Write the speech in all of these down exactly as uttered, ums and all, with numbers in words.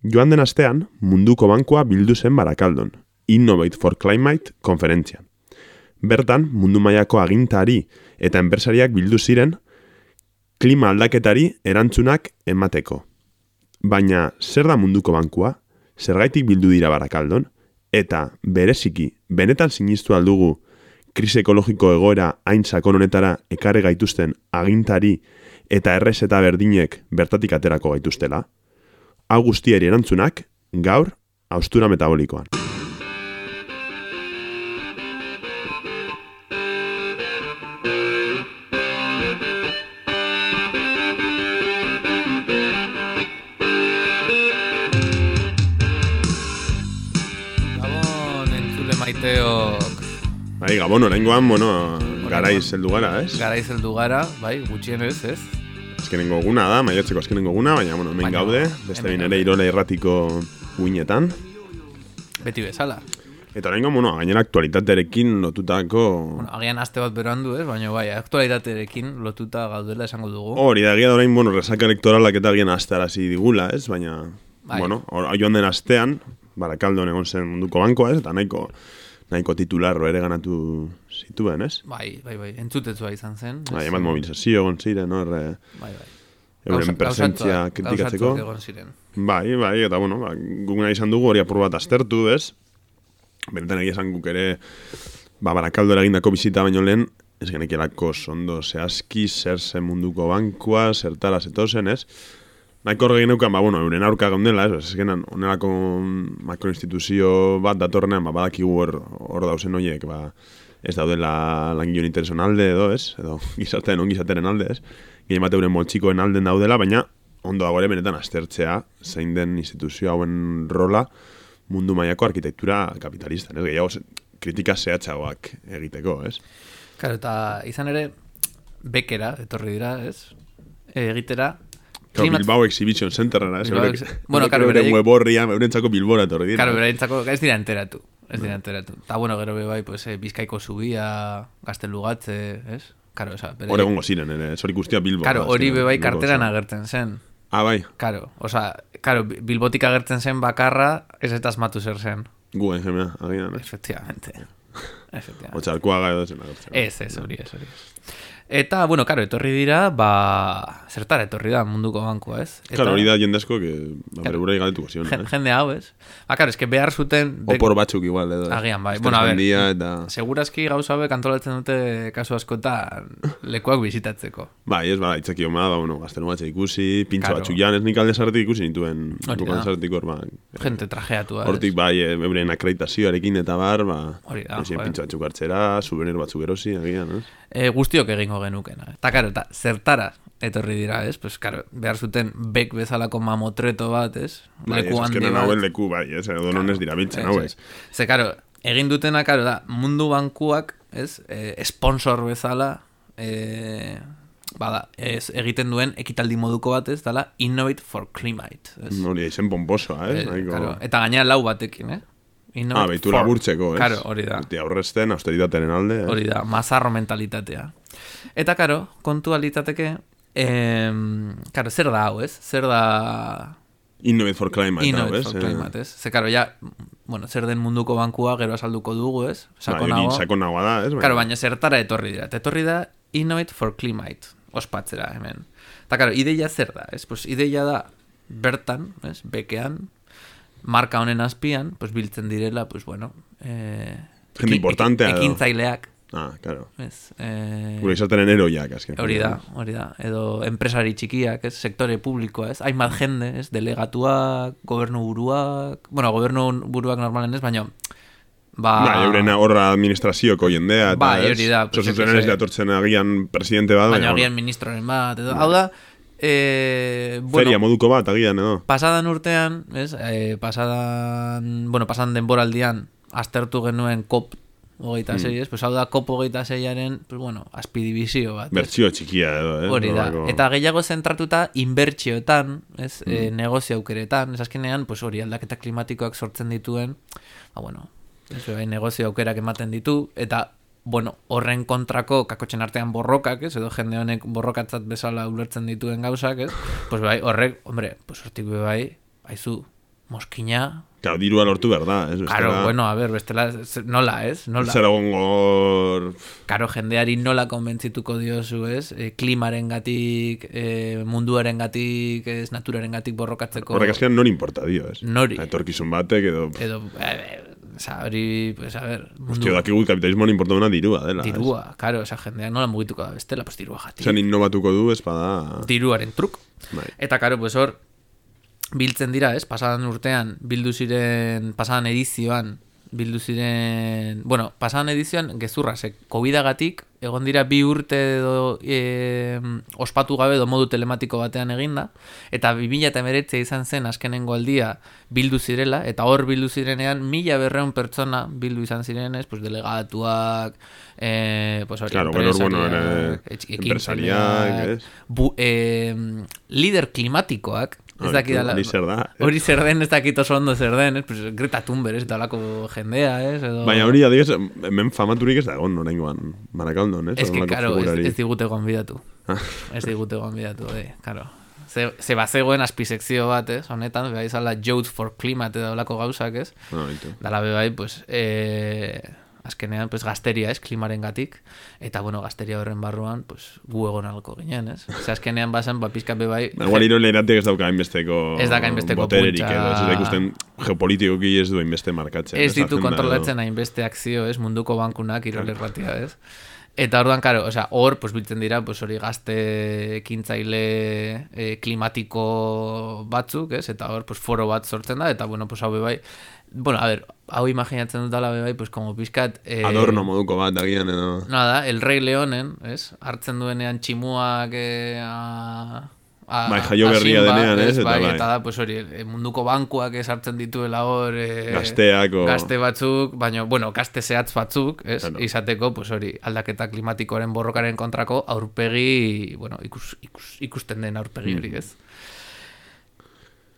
Joan den astean, munduko bankua bildu zen Barakaldon, Innovate for Climate konferentzian. Bertan, mundu mailako agintari eta enpresariak bildu ziren klima aldaketari erantzunak emateko. Baina, zer da munduko bankua? Zergaitik bildu dira Barakaldon? Eta, bereziki, benetan sinistu aldugu krisi ekologiko egoera hain sakon honetara ekarri gaituzten agintari eta errezeta berdinek bertatik aterako gaituztela? Hau guztiari erantzunak, gaur, haustura metabolikoan. Gabon, entzule maiteok. Bai, Gabon, oraingoan, bueno, garaiz heldu gara, ez? Garaiz heldu gara, bai, gutxienez, ez? Azkenengo eguna da, maiatzeko azkenengo eguna, baina, bueno, hemen gaude, beste bin ere Irola irratiko uinetan. Beti bezala. Eta oraingoan, bueno, gainera aktualitatearekin lotutako... Bueno, agian aste bat berandu, ez? Baina, bai, aktualitatearekin lotuta gaudela esango dugu. Hori da, egia da orain, bueno, resaka elektoralak eta agian astarazi digula, ez? Baina, bai. Bueno, joan den astean, Barakaldon egon zen munduko bankoa, ez? Eta nahiko... nahiko titularro ere ganatu zituen, ez? Bai, bai, bai, entzutetzua izan zen. Bai, emat mobilizazio egon ziren, no? Erre, bai, bai. Euren presentzia kritikatzeko. Egon ziren. Bai, bai, eta bueno, ba, guguna izan dugu hori apur bat aztertu, ez? Benetan egia esan guk ere, ba, Barakaldo eragindako bizita baino lehen, ez genekielako sondo zehazki, zer zen munduko bankua, zertara zetozen, ez? Nahiko horregin neukan, ba, bueno, euren aurka gaundela, ez, ez genan, onelako makroinstituzio bat datorrenean, ba, badakigu hor, hor dauzen horiek, ba, ez daudela langileon intereson alde edo, ez, edo gizartean ongizateren alde, ez, gehien bat euren moltxikoen alden daudela, baina ondo dago ere benetan aztertzea zein den instituzio hauen rola mundu mailako arkitektura kapitalistan, ez, gehiago kritika zehatzagoak egiteko, ez. Claro, eta izan ere, bekera, etorri dira, ez, egitera, Claro, Bilbao Exhibition Centerra, ez? Bueno, claro, beraiek... web horria, eurentzako Bilbora etorri dira. Claro, beraientzako ez dira enteratu. Ez dira enteratu. Ta bueno, gero be bai, pues, eh, Bizkaiko zubia, Gaztelugatze, ez? Claro, oza, beraiek... Hore gongo ziren, ere, hori guztia Bilbo. Claro, hori be bai karteran agertzen zen. Ah, bai. Claro, oza, claro, Bilbotik agertzen zen bakarra, ez eta asmatu zer zen. Guen, jemea, agian, eh? Efectivamente. Efectivamente. Otxarkoaga edo zen agertzen. Ez, ez, hori ez, hori ez. Eta, bueno, karo, etorri dira, ba... Zertara etorri da munduko bankua, ez? Eta, claro, hori da jendezko, que... Ba, bere burai galetuko zion, eh? Jende hau, ez? Ba, karo, eske behar zuten... Opor batzuk igual, edo. Agian, bai. Bueno, a ver, eta... segurazki gauza hauek antolatzen dute kasu askotan lekuak bizitatzeko. Bai, ez, ba, itzaki homa, ba, bueno, Gaztelugatxe ikusi, pintxo claro. Batzuk jan, ez nik alde sarretik ikusi nituen. Hori da. Sarretik hor, ba... Gente trajeatua, ez? Hortik, bai, euren akreditazioarekin eta bar, ba... Hori da, joder. Pintxo batzuk hartzera, souvenir batzuk erosi, agian, ez? E, guztiok egingo genukena. Eta, karo, eta zertara etorri dira, ez? Pues, karo, behar zuten bek bezalako mamotreto bat, ez? Bai, ez, azkenan hauen leku, bai, ez? Edo non ez dira biltzen, hau, ez? Ze, karo, egin dutena, karo, da, mundu bankuak, ez? E, sponsor bezala, e, bada, ez, egiten duen ekitaldi moduko bat, ez? Dala, Innovate for Climate, ez? Hori, izen pomposoa, ez? E, karo, eta gainera lau batekin, eh? Ah, behitu laburtzeko, ez? Karo, hori da. Eta aurrezten, austeritateren alde, ez? Hori da, mazarro mentalitatea. Eta, karo, kontua litzateke, eh, karo, zer da hau, ez? Zer da... Innovate for Climate, Innovate hau, ez? for Climate, ez? Ze, karo, ja, bueno, zer den munduko bankua gero azalduko dugu, ez? Sakonagoa. Ba, sakonagoa da, ez? Karo, baina zertara etorri dira. Eta etorri da Innovate for Climate, ospatzera, hemen. Eta, karo, ideia zer da, ez? Pues, ideia da bertan, ez? Bekean, marka honen azpian, pues biltzen direla, pues bueno, eh, gente importantea edo. Ekintzaileak. Ah, claro. Ez, eh, gure izaten eroiak, azken. Hori da, hori da. Edo enpresari txikiak, ez, sektore publikoa, ez, hainbat jende, ez, delegatuak, gobernu buruak, bueno, gobernu buruak normalen ez, baina ba... Ba, eurena horra administrazioko jendea, eta ba, hori da. Pues, Zozuzen ez datortzen agian presidente bat. Baina agian ministroren bat, edo, hau da, Eh, bueno, feria moduko bat, agian, edo? Pasadan urtean, ez? Eh, pasadan, bueno, pasadan denboraldian aztertu genuen COP hogeita sei, mm. pues hau da COP hogeita seiaren, pues bueno, azpidibizio bat. Bertsio txikia edo, eh? Hori da. Horako... Eta gehiago zentratuta inbertsioetan, ez? Mm. E, negozio aukeretan, ez azkenean, pues hori aldaketa klimatikoak sortzen dituen, ba bueno, ez bai, negozio aukerak ematen ditu, eta bueno, horren kontrako kakotxen artean borrokak, ez? Edo jende honek borrokatzat bezala ulertzen dituen gauzak, ez? Pues bai, horrek, hombre, pues hortik bai, haizu, Moskina... Claro, dirua lortu behar da, ez? Claro, bestela... bueno, a ver, bestela, nola, ez? Nola. Zer egongo... Claro, jendeari nola konbentzituko diozu, ez? E, klimaren gatik, e, munduaren gatik, ez, naturaren gatik borrokatzeko... Horrek azkenean nori importa dio, ez? Nori. Etorkizun batek edo... Edo, e, oza, hori, pues, a ver... Mundu... Hostia, dakigu kapitalismoan importa duna dirua, dela. Dirua, es? Claro, oza, jendeak nola mugituko da bestela, pues dirua jatik. Zer innovatuko du, ez bada... Diruaren truk. Bai. Eta, claro, pues hor... Biltzen dira, ez? Pasadan urtean, bildu ziren, pasadan edizioan, bildu ziren... Bueno, pasadan edizioan, gezurra, ze, COVID-agatik, egon dira bi urte edo e, ospatu gabe edo modu telematiko batean eginda, eta bi mila hemeretzi izan zen azkenengo aldia bildu zirela, eta hor bildu zirenean, mila berreun pertsona bildu izan zirenez, pues delegatuak, eh, pues hori, claro, empresariak, bueno, empresariak, bu, eh, lider klimatikoak, ez dakidala, hori zer da. Hori zer den, ez dakit oso ondo zer den, ez, pues, Greta Thunberg, ez dalako jendea, ez, edo... Baina hori, adibidez, hemen famaturik ez da egon, oraingoan, Marakaldon, ez? Ez que, karo, ez, ez digute gonbidatu. Ez digute gonbidatu, eh, karo. Ze, ze bazegoen azpisekzio bat, ez, honetan, beha izala Youth for Climate edo olako gauzak, ez? No, dala bebai, pues, eh... azkenean, pues, gazteria, ez, klimaren gatik, eta, bueno, gazteria horren barruan, pues, gu egon alko ginen, ez? Ose, azkenean bazen, ba, pizka bebai... Igual iro lehenatik ez dauka hainbesteko ez dauka hainbesteko botererik edo, ez da ikusten geopolitikoki ez du hainbeste markatzen. Ez ditu kontrolatzen hainbeste akzio, ez, munduko bankunak irolerratia, ez? Eta orduan, karo, osea, hor, pues, biltzen dira, pues, hori gazte ekintzaile eh, klimatiko batzuk, ez? Eta hor, pues, foro bat sortzen da, eta, bueno, pues, hau bebai, bueno, a ver, hau imaginatzen dut dala bebai, pues, como pizkat... Eh, adorno moduko bat, agian edo... Nada, el Rey Leonen, ez? Hartzen duenean tximuak eh, a... A, bai, jaio berria denean, ez? Eta, bai, bai. Eta da, pues hori, munduko bankuak esartzen dituela hor... E, gazteak o... Gazte batzuk, baina, bueno, gazte zehatz batzuk, ez? Claro. Izateko, pues hori, aldaketa klimatikoaren borrokaren kontrako aurpegi, bueno, ikus, ikus, ikusten den aurpegi hori, ez?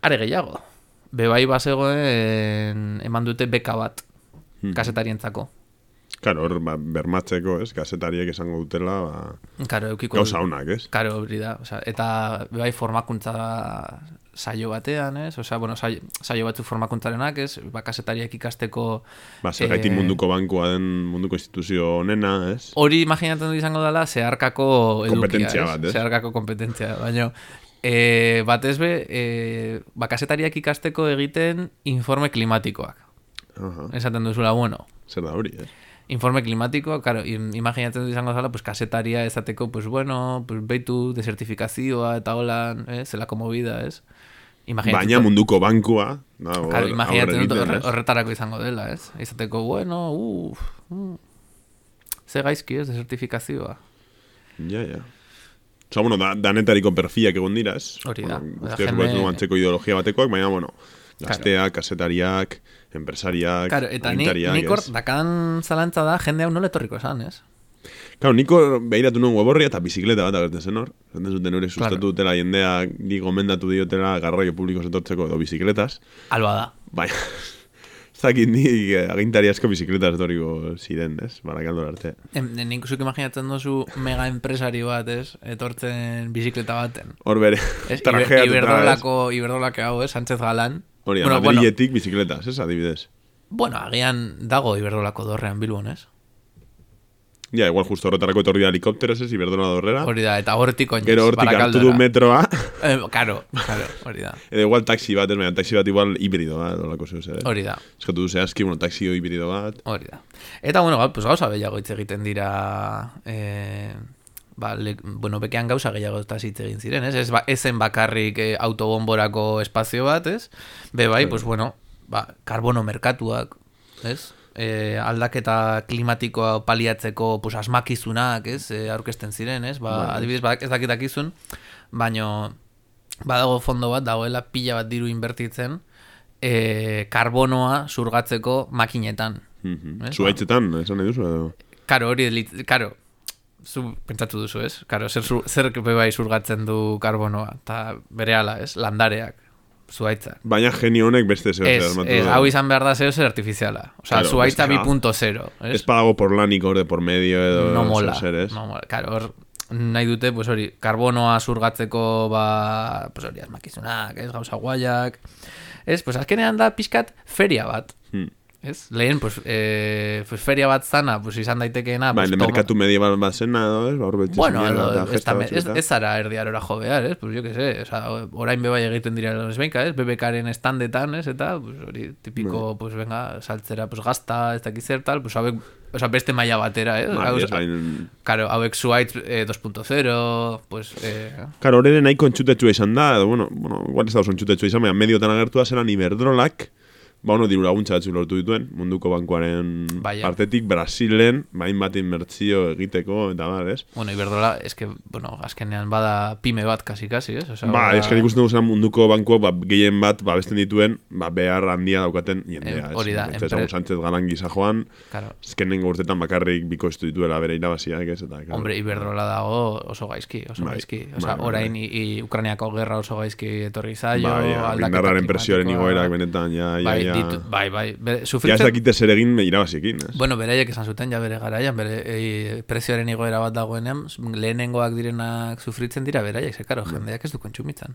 Are gehiago, bebai bazegoen eman dute beka bat, hmm. kasetarientzako. Karo, hor, ba, bermatzeko, ez, gazetariek esango dutela, ba, karo, eukiko, gauza honak, ez? Karo, hori da, o sea, eta bai formakuntza saio batean, ez? Osea, bueno, saio, saio batzuk formakuntzarenak, ez? Ba, kasetariak ikasteko... Ba, zergaitik eh, munduko bankua den munduko instituzio honena, ez? Hori imaginatzen du izango dela, zeharkako edukia, kompetentzia bat, ez? Zeharkako kompetentzia, baina... E, batez be, e, ba, kasetariak ikasteko egiten informe klimatikoak. Uh-huh. Esaten duzula, bueno... Zer da hori, ez? Informe klimatikoa, claro, imaginatzen du izango zala, pues, kasetaria ezateko, pues, bueno, pues, beitu, desertifikazioa, eta holan, eh, zelako movida, ez? Baina munduko bankua, da, or, claro, imaginatzen dut horre, horretarako izango dela, ez? Izateko, bueno, uff, uh, ze gaizki, ez, desertifikazioa. Ja, ja. Osa, bueno, da, danetariko perfiak egon dira, ez? Hori da. Bueno, guztiak jende... bat antzeko ideologia batekoak, baina, bueno, gazteak, claro. Kasetariak, empresariak, claro, eta nik hor, dakan zalantza da, jende hau nola etorriko esan, ez? Claro, niko behiratu nuen weborria eta bizikleta bat agertzen zen hor. Zaten zuten hori sustatu claro. dutela jendea, di gomendatu diotela garraio publiko etortzeko edo bizikletas. Alba da. Baina, ez dakit ni agintari asko bizikletas etorriko ziren, ez? Barakaldor arte. Nik zuk imaginatzen dozu mega empresario bat, ez? Etortzen bizikleta baten. Hor bere, trajeat. Iberdolako, Iberdolako hau, ez? Sánchez Galán. Hori, bueno, Madriletik bueno, bizikletas, ez, adibidez. Bueno, agian dago Iberdolako dorrean Bilbon, ez? Ja, igual justo horretarako etorri da helikopteros, ez, Iberdola dorrera. Hori da, eta hortik oinez, gero hortik hartu du metroa. eh, karo, karo, hori da. Edo igual taxi bat, ez, baina taxi bat igual hibrido bat, dolako zeu zer, eh? Hori da. Eskatu du zehazki, bueno, taxi hibrido bat. Hori da. Eta, bueno, pues gauza behiago hitz egiten dira... Eh... Ba, le, bueno, bekean gauza gehiago eta hitz egin ziren, ez? Ez ba, ezen bakarrik eh, autobomborako espazio bat, ez? Be bai, pues bueno, ba, karbono merkatuak, ez? E, aldaketa klimatikoa paliatzeko pues, asmakizunak, ez? E, aurkezten ziren, ez? Ba, adibidez, ba, ez dakitakizun, baino badago fondo bat, dagoela pila bat diru inbertitzen e, karbonoa surgatzeko makinetan. Mm-hmm. Zuaitzetan, esan nahi duzu edo? Karo, hori, karo, zu pentsatu duzu, ez? Karo, zer, zer bai surgatzen du karbonoa, eta bere ala, ez? Landareak, zuaitzak. Baina genio honek beste zeo zer. Ez, ez, hau izan behar da zeo zer artifiziala. Osa, claro, zuaitza bi punto zero. Ez padago por lanik hor de por medio edo no mola, zer, ez? No mola, karo, hor nahi dute, pues hori, karbonoa surgatzeko, ba, pues hori, asmakizunak, ez? Gauza guaiak, Ez, pues azkenean da pixkat feria bat. Hmm. Ez? Lehen, pues, eh, pues feria bat zana, pues izan daitekeena... Ba, pues, en toma- merkatu medieval bat zena, edo, ez? Ba, hor betxe Bueno, zinela, edo, eta ez, festa da- batzuk ez, eta. ez zara erdiarora jo behar, ez? Pues jo que sé, o sea, orain beba egiten dira los benka, ez? B B Karen standetan, ez? Eta, pues hori, tipiko, pues venga, saltzera, pues gazta, ez dakiz zer tal, pues hauek, o sea, beste maila batera, ez? Bai, Hau- ez, bain... Claro, hauek Zuaitz eh, dos punto cero, pues... Eh, Karo, hori ere nahiko entxutetsua izan da, edo, bueno, bueno, igual ez da oso entxutetsua izan, baina mediotan agertua zelan Iberdrolak, ba, ono, diru laguntza batzu lortu dituen, munduko bankuaren Baina. partetik, Brasilen, bain bat inbertzio egiteko, eta bar, ez? bueno, Iberdrola, es que, bueno, azkenean bada pyme bat kasi-kasi, ez? O sea, Ba, bada- ez que nik uste dugu zelan munduko bankuak, ba, gehien bat, ba, besten dituen, ba, behar handia daukaten jendea, Em, ez? hori da, Ez empre- Sánchez Galan gisa joan, Claro. ezkenengo urtetan bakarrik bikoiztu dituela bere irabaziak, ez? Eta, claro. Hombre, Iberdrola dago oso gaizki, oso Bai, gaizki. O sea, bai, bai, orain bai. i, i Ukrainiako gerra oso gaizki etorri zaio, Bai, aldaketa indarraren presioaren klimatikoa. igoerak benetan, ja, ja, bai, ja. ditu, bai, bai. Be, Ja ez sufritzen, dakite zer egin irabaziekin, ez? bueno, beraiek esan zuten, ja bere garaian, bere e, prezioaren igoera bat dagoenean, lehenengoak direnak sufritzen dira beraiek, ze, karo, jendeak ez du kontsumitzen.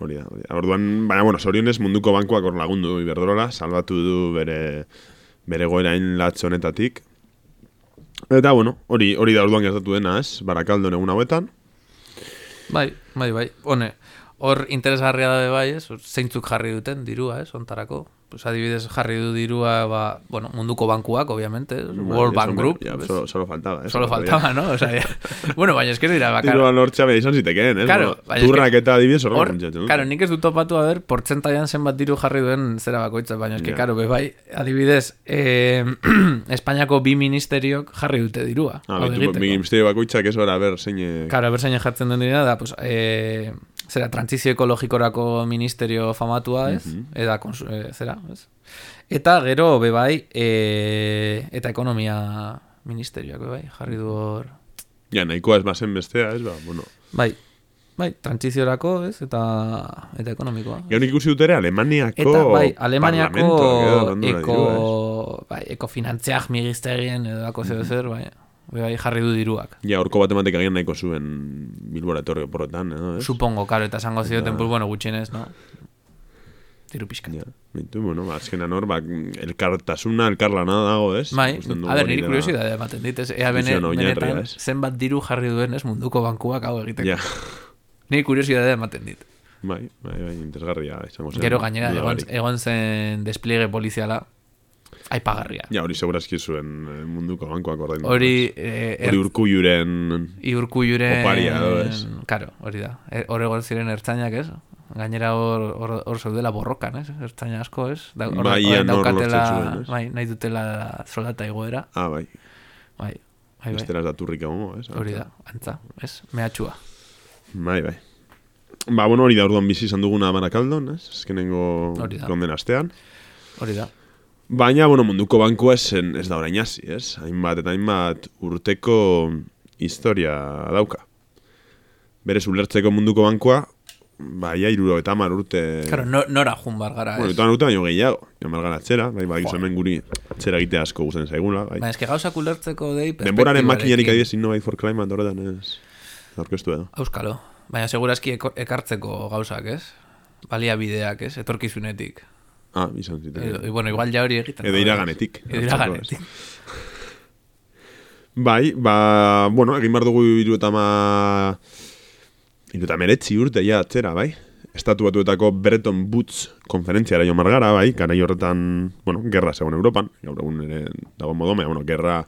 Hori da, hori da. Orduan, baina, bueno, zorionez munduko bankuak hor lagundu du Iberdrola, salbatu du bere, bere goerain latz honetatik. Eta, bueno, hori hori da orduan gertatu dena, ez? Barakaldon egun hauetan. Bai, bai, bai. Hone, hor interesgarria da bai, ez? Zeintzuk jarri duten dirua, ez? Ontarako. Pues adibidez jarri du dirua, ba, bueno, munduko bankuak, obviamente, ez? World Bank Group. Ja, ¿ves? solo, solo faltaba, ez? Solo faltaba, ¿no? O sea, ya... bueno, baina esker dira bakar. Dirua lortza beha izan zitekeen, ez? Claro, Bueno, baina eske- turrak eta adibidez horrela Hor, funtsatzen dute. claro, nik ez dut topatu a ber, portzentaian zenbat diru jarri duen zera bakoitza, baina eske, Ja. claro, be bai, adibidez, eh, Espainiako bi ministeriok jarri dute dirua. Ah, hau betu, egiteko. mi ministerio bakoitzak ez ora, ber, zein... Claro, berzain jartzen den dira, da, pues, eh, zera, trantzizio ekologikorako ministerio famatua, ez? Mhm. Eta, konsu, eh, zera, ez? Eta gero, bebai, eh, eta ekonomia ministerioak, bebai, jarri du hor... Ja, nahikoa ez bazen bestea, ez? Ba, bueno. Bai, bai, trantsiziorako, ez? Eta, eta ekonomikoa. Gero nik ikusi dut ere Alemaniako... Eta, bai, Alemaniako parlamentuak edo landu nahi eko, dirua, ez? bai, ekofinantziak migistegien edo dako zeo zer, bai, bai, jarri du diruak. Ja, horko bat ematek agian nahiko zuen Bilbora etorri porrotan, edo, ez? Supongo, karo, eta esango zioten, Eta- pues, bueno, gutxienez, no? Diru pixkat. Ja, bintu, bueno, ba, azkenan hor, ba, elkartasuna, elkarlana dago, ez? Bai, Ikusten dugu a ber, hori niri dela- kuriosidadea ematen dit, ez? Ea bene, Ilusioa oinarria, benetan ez? zenbat diru jarri duen, ez, munduko bankuak hau egiteko. Ja, Niri kuriosidadea ematen dit. bai, bai, bai, interesgarria izango zen. Gero gainera, duda egon, barik. egon zen despliege poliziala, aipagarria. Ja, hori segurazki zuen eh, munduko bankoak ordaindu. Hori, eh, Hori urkulluren... Iurkulluren... Oparia edo, ez? Karo, hori da. E, Hor egon ziren ertzainak, ez? Gainera hor, hor, hor zeudela borrokan, ez? Ertzaina asko, ez? Da, hor, Bai, hor ian hor daukatela, lortzen zuen, ez? bai, nahi dutela soldata igoera. Ah, bai, Bai, bai, bai. besteraz da turrik egongo, ez? Hori da, antza, ez? Mehatxua. Bai, bai. Ba, bueno, hori da orduan bizi izan duguna Barakaldon, ez? Azkenengo Hori da. konden astean. Hori da. Baina, bueno, munduko bankua ez, ez da orain hasi, ez? Hainbat eta hainbat urteko historia dauka. Berez ulertzeko munduko bankua, ba, ia iruro eta hamar urte... Claro, no, nora jun bar gara, Bueno, ez? eta urte baino gehiago, jamal gara atzera, bai, bai, Jo. hemen guri atzera egitea asko guzen zaigula, bai. Baina eske gauzak ulertzeko dei Denboraren makinarik perspektibarekin. adibidez Innovate for Climate horretan ez aurkeztu edo. Auskalo. Baina segurazki eko- ekartzeko gauzak, ez? Baliabideak, ez? Etorkizunetik. Ah, izan ziten. Edo, e, bueno, igual ja hori egiten. Edo iraganetik. Edo iraganetik. Bai, ba, bueno, egin behar dugu iru eta ma... Iru eta meretzi urte ja atzera, bai? Estatu batuetako Bretton Woods konferentziara jo margara, bai? Garai horretan, bueno, gerra zegoen Europan. Gaur egun ere dago modome, bueno, gerra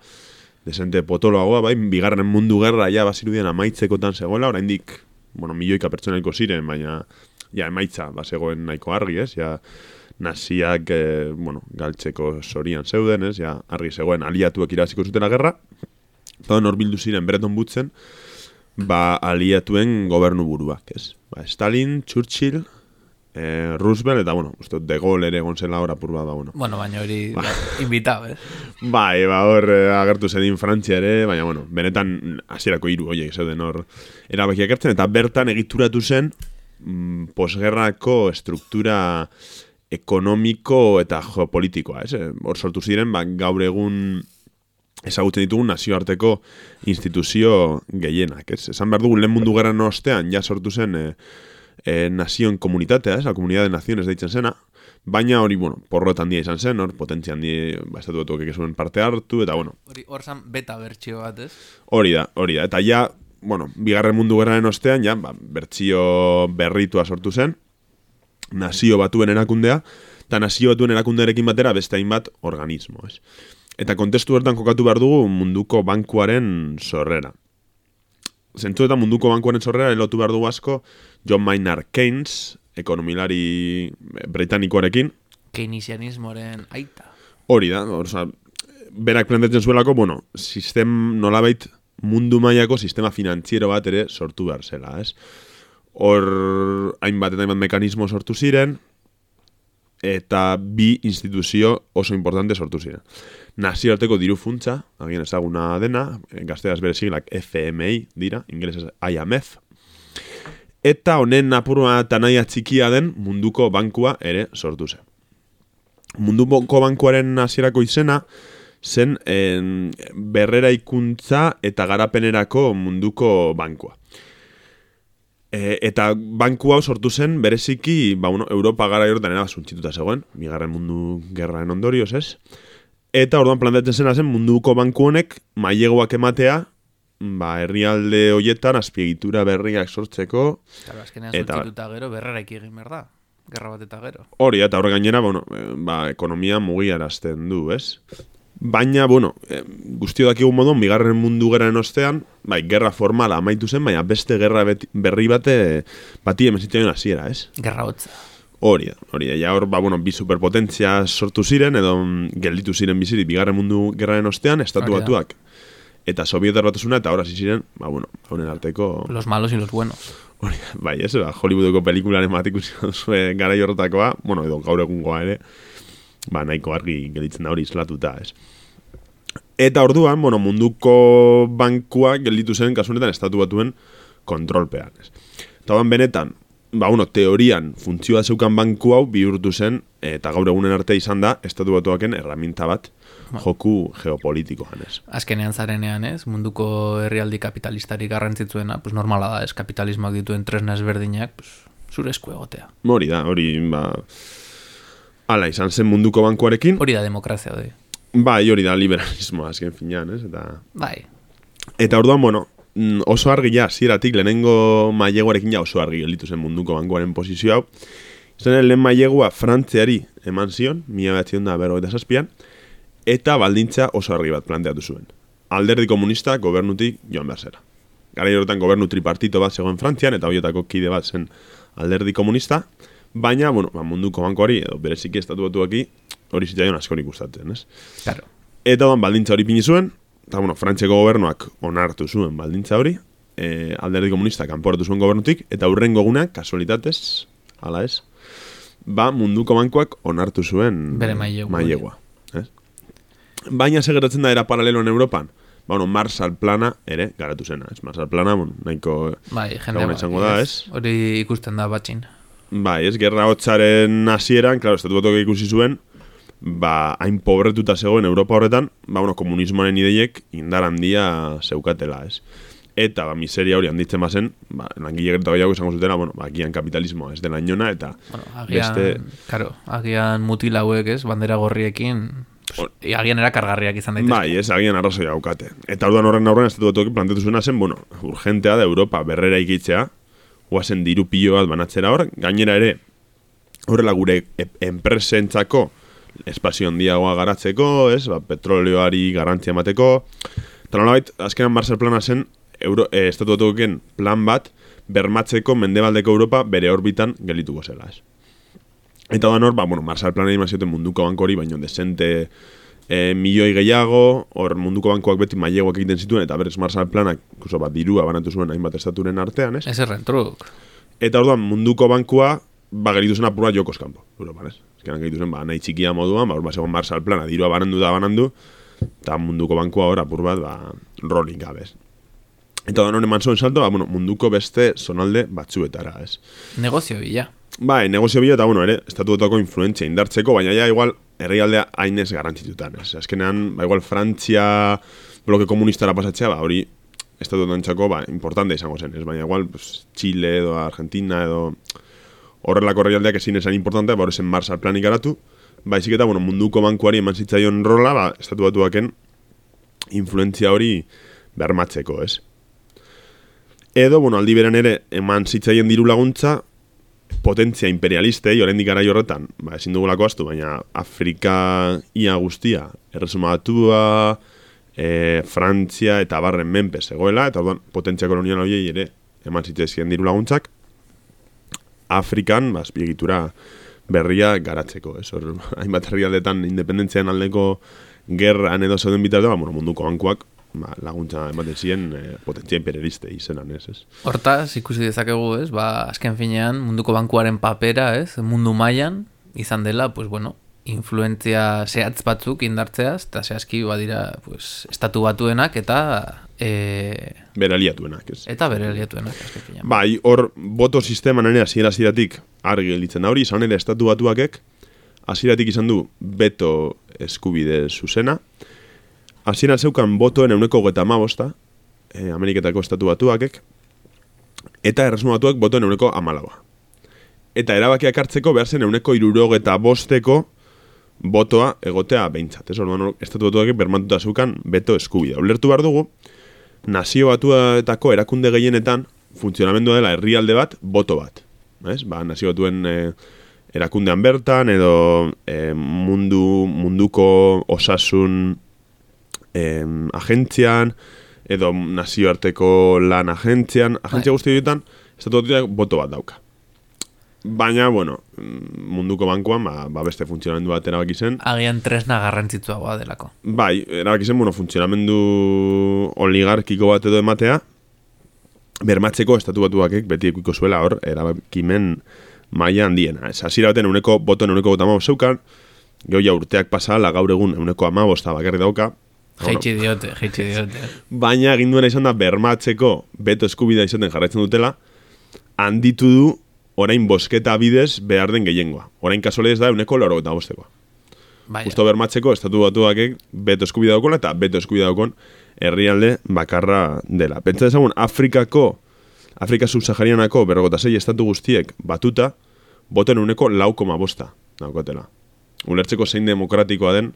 desente potoloagoa, bai? Bigarren mundu gerra ja bazirudien amaitzekotan zegoela, oraindik, bueno, milioika pertsonaiko ziren, baina ja emaitza bazegoen nahiko argi, ez? Ja, naziak, eh, bueno, galtzeko zorian zeuden, ez? Ja, argi zegoen aliatuak irabaziko zutela gerra. Eta hor bildu ziren Bretton Woodsen, ba, aliatuen gobernu buruak, ez? Ba, Stalin, Churchill, eh, Roosevelt, eta, bueno, uste dut De Gaulle ere egon zela hor apur bat, ba, bueno. Bueno, baina hori ba. invitao, ez? Bai, ba, hor eh, agertu zedin Frantzia ere, baina, bueno, benetan hasierako hiru horiek zeuden hor erabakiak hartzen, eta bertan egituratu zen mm, posgerrako estruktura ekonomiko eta geopolitikoa, ez? Hor sortu ziren, ba, gaur egun ezagutzen ditugun nazioarteko instituzio gehienak, ez? Esan behar dugu, lehen mundu gerran ostean, ja sortu zen e, e, nazioen komunitatea, ez? La Comunidad de Naciones deitzen zena, Baina hori, bueno, porrot handia izan zen, hor, potentzia handia, ba, estatu batuak zuen parte hartu, eta bueno. Hori, hor zan beta bertxio bat, ez? Hori da, hori da. Eta ja, bueno, bigarren mundu gerraren ostean, ja, ba, bertsio berritua sortu zen, nazio batuen erakundea, eta nazio batuen erakundearekin batera beste hainbat organismo, ez? Eta kontestu bertan kokatu behar dugu munduko bankuaren sorrera. Zentzu eta munduko bankuaren sorrera elotu behar dugu asko John Maynard Keynes, ekonomilari britanikoarekin. Keynesianismoaren aita. Hori da, orza, berak plantetzen zuelako, bueno, sistem nolabait mundu mailako sistema finantziero bat ere sortu behar zela, ez? Hor hainbat eta hainbat mekanismo sortu ziren, eta bi instituzio oso importante sortu ziren. Nazioarteko diru funtsa, agian ezaguna dena, gazteaz bere siglak F M I dira, ingelesez I M F, eta honen apurua eta nahia txikia den munduko bankua ere sortu zen. Munduko bankuaren hasierako izena zen en, berrera ikuntza eta garapenerako munduko bankua. E, eta banku hau sortu zen bereziki, ba, bueno, Europa gara jortan era suntxituta zegoen, bigarren mundu gerraren ondorioz, ez? Eta orduan planteatzen zena zen munduko banku honek mailegoak ematea, ba, herrialde hoietan azpiegitura berriak sortzeko. Claro, azkenean suntxituta gero berreraik egin behar da, gerra bat eta gero. Hori, eta horre gainera, bueno, ba, ekonomia mugiarazten du, ez? Baina, bueno, eh, guztio dakigun modon, bigarren mundu gerraren ostean, bai, gerra formala amaitu zen, baina beste gerra beti, berri bate bati emezitioen hasiera, ez? Gerra hotza. Hori da, hori da. Ja hor, ba, bueno, bi superpotentzia sortu ziren, edo gelditu ziren bizirik bigarren mundu gerraren ostean, estatu batuak. Eta Sovietar batasuna, eta hor hasi ziren, ba, bueno, honen arteko... Los malos y los buenos. Hori, bai, ez, ba, Hollywoodeko pelikularen bat ikusi zuen gara jorrotakoa, bueno, edo gaur egungoa ere, ba, nahiko argi gelditzen da hori islatuta, ez. Eta orduan, bueno, munduko bankua gelditu zen kasunetan estatu batuen kontrolpean, ez. Eta orduan benetan, ba, bueno, teorian funtzioa zeukan banku hau bihurtu zen, eta gaur egunen arte izan da, estatu batuaken erraminta bat joku geopolitikoan, ez. Azkenean zarenean, ez, munduko herrialdi kapitalistari garrantzitzuena, pues normala da, ez, kapitalismoak dituen tresna ezberdinak, pues, zure esku egotea. Hori da, hori, ba, ala izan zen munduko bankuarekin. Hori da demokrazia, hori. Bai, hori da liberalismoa, azken finean, ez, eta... Bai. Eta orduan, bueno, oso argi ja, zieratik, lehenengo maileguarekin ja oso argi gelditu zen munduko bankuaren posizio hau. Zen lehen mailegua Frantziari eman zion, mila behatzion da berrogeita zazpian, eta baldintza oso argi bat planteatu zuen. Alderdi komunista gobernutik joan behar zera. Garai horretan gobernu tripartito bat zegoen Frantzian, eta horietako kide bat zen alderdi komunista, baina, bueno, ba, munduko bankuari, edo bereziki estatu batuaki, hori zitzaion askorik gustatzen, ez? Claro. Eta odan baldintza hori pini zuen, eta, bueno, Frantziako gobernuak onartu zuen baldintza hori, e, alderdi komunista kanporatu zuen gobernutik, eta hurrengo gunak, kasualitatez, ala ez, ba, munduko bankuak onartu zuen bere mailegua. mailegua, ez? Baina segeratzen da era paraleloan Europan, ba, bueno, Marshall Plana ere garatu zena, ez? Marshall Plana, bueno, nahiko... Bai, jende bai, da, ez? Hori ikusten da batxin. Bai, ez, gerra hotzaren hasieran, klaro, estatu batuak ikusi zuen, ba, hain pobretuta zegoen Europa horretan, ba, bueno, komunismoaren ideiek indar handia zeukatela, ez? Eta, ba, miseria hori handitzen bazen, ba, langile gertu gehiago izango zutela, bueno, ba, agian kapitalismoa ez dela inona, eta bueno, agian, beste... Karo, agian mutil hauek, ez, bandera gorriekin, pues, agian erakargarriak izan daitezke. Bai, ez, agian arrazoi haukate. Eta orduan horren aurren estatu batuak planteatu zuena zen, bueno, urgentea da Europa berrera ikitzea, guazen diru pilo bat banatzera hor, gainera ere, horrela gure enpresentzako espazio handiagoa garatzeko, ez, ba, petroleoari garrantzia emateko, eta nolabait, azkenan Marshall Plana zen, Euro, eh, estatu batuaken plan bat, bermatzeko mendebaldeko Europa bere orbitan gelituko zela, ez. Eta da hor, ba, bueno, Marshall Plana imazioten munduko banko hori, baino desente e, milioi gehiago, hor munduko bankoak beti mailegoak egiten zituen, eta berez Marshall Planak, kuso bat dirua banatu zuen hainbat estaturen artean, ez? Ez erren truk. Eta orduan munduko bankua, ba, geritu zen apurua jokos kanpo, Europan, ez? Ezkeran geritu zen, ba, nahi txikia moduan, ba, hor bat segon Marshall Plana, dirua banandu da banandu, eta munduko bankua hor apur bat, ba, rolling gabez. Eta da hori eman zuen salto, ba, bueno, munduko beste zonalde batzuetara, ez? Negozio bila. Bai, negozio bila eta, bueno, ere, estatuetako influentzia indartzeko, baina ja, igual, herrialdea hainez garantzitutan, ez? Azkenean, ba, igual, Frantzia bloke komunistara pasatzea, ba, hori, estatuetan txako, ba, importante izango zen, ez? Baina, igual, pues, Chile edo Argentina edo horrelako herrialdeak ezin esan importantea, ba, horrezen Marshall planik garatu, baizik eta, bueno, munduko bankuari eman zitzaion rola, ba, estatu batuaken influentzia hori bermatzeko, ez? Edo, bueno, aldi beran ere, eman zitzaien diru laguntza, potentzia imperialistei, oraindik garai horretan, ba, ezin dugulako astu, baina Afrika ia guztia, erresuma batua, e, Frantzia eta barren menpe zegoela, eta orduan potentzia kolonial horiei ere eman zitzaizkien diru laguntzak, Afrikan, ba, azpiegitura berria garatzeko, ez? Hor, hainbat herrialdetan independentzian aldeko gerran edo zeuden bitartu, ba, bueno, munduko bankuak ba, laguntza ematen ziren e, potentzia imperialistei izenan, ez, ez? Hortaz, ikusi dezakegu, ez, ba, azken finean, munduko bankuaren papera, ez, mundu mailan izan dela, pues, bueno, influentzia zehatz batzuk indartzeaz, eta zehazki badira, pues, estatu batuenak eta e... bere aliatuenak, ez? Eta bere aliatuenak, azken finean. Bai, hor, boto sisteman ere hasiera-hasieratik argi gelditzen da hori, izan ere estatu batuakek, hasieratik izan du beto eskubide zuzena, hasieran zeukan botoen euneko hogeita hamabosta, eh, Ameriketako estatu batuakek, eta erresuma batuak botoen euneko hamalaua. Eta erabakiak hartzeko behar zen euneko hirurogeta bosteko botoa egotea behintzat. Ez orduan, estatu batuakek bermatuta zeukan beto eskubidea. Ulertu behar dugu, nazio batuetako erakunde gehienetan funtzionamendua dela herrialde bat, boto bat. Ez? Ba, nazio batuen e, erakundean bertan, edo e, mundu, munduko osasun e, agentzian, edo nazioarteko lan agentzian, agentzia guzti horietan, estatu batuak boto bat dauka. Baina, bueno, munduko bankuan, ba, ba beste funtzionamendu bat erabaki zen. Agian tresna garrantzitsuagoa delako. Bai, erabaki zen, bueno, funtzionamendu oligarkiko bat edo ematea, bermatzeko estatu batuakek beti ekuiko zuela hor, erabakimen maila handiena. Ez, hasiera baten euneko botoen euneko gota amabost zeukan, gehoia urteak pasala gaur egun euneko amabosta bakarri dauka. Jeitsi diote, jeitsi diote. Baina egin duena izan da bermatzeko beto eskubidea izaten jarraitzen dutela, handitu du orain bosketa bidez behar den gehiengoa. Orain kasualidez da euneko laro eta bostekoa. Justo bermatzeko estatu batuakek beto eskubidea daukon eta beto eskubidea daukon herrialde bakarra dela. Pentsa dezagun, Afrikako, Afrika subsaharianako berrogota sei estatu guztiek batuta, boten euneko lau koma bosta daukotela. Ulertzeko zein demokratikoa den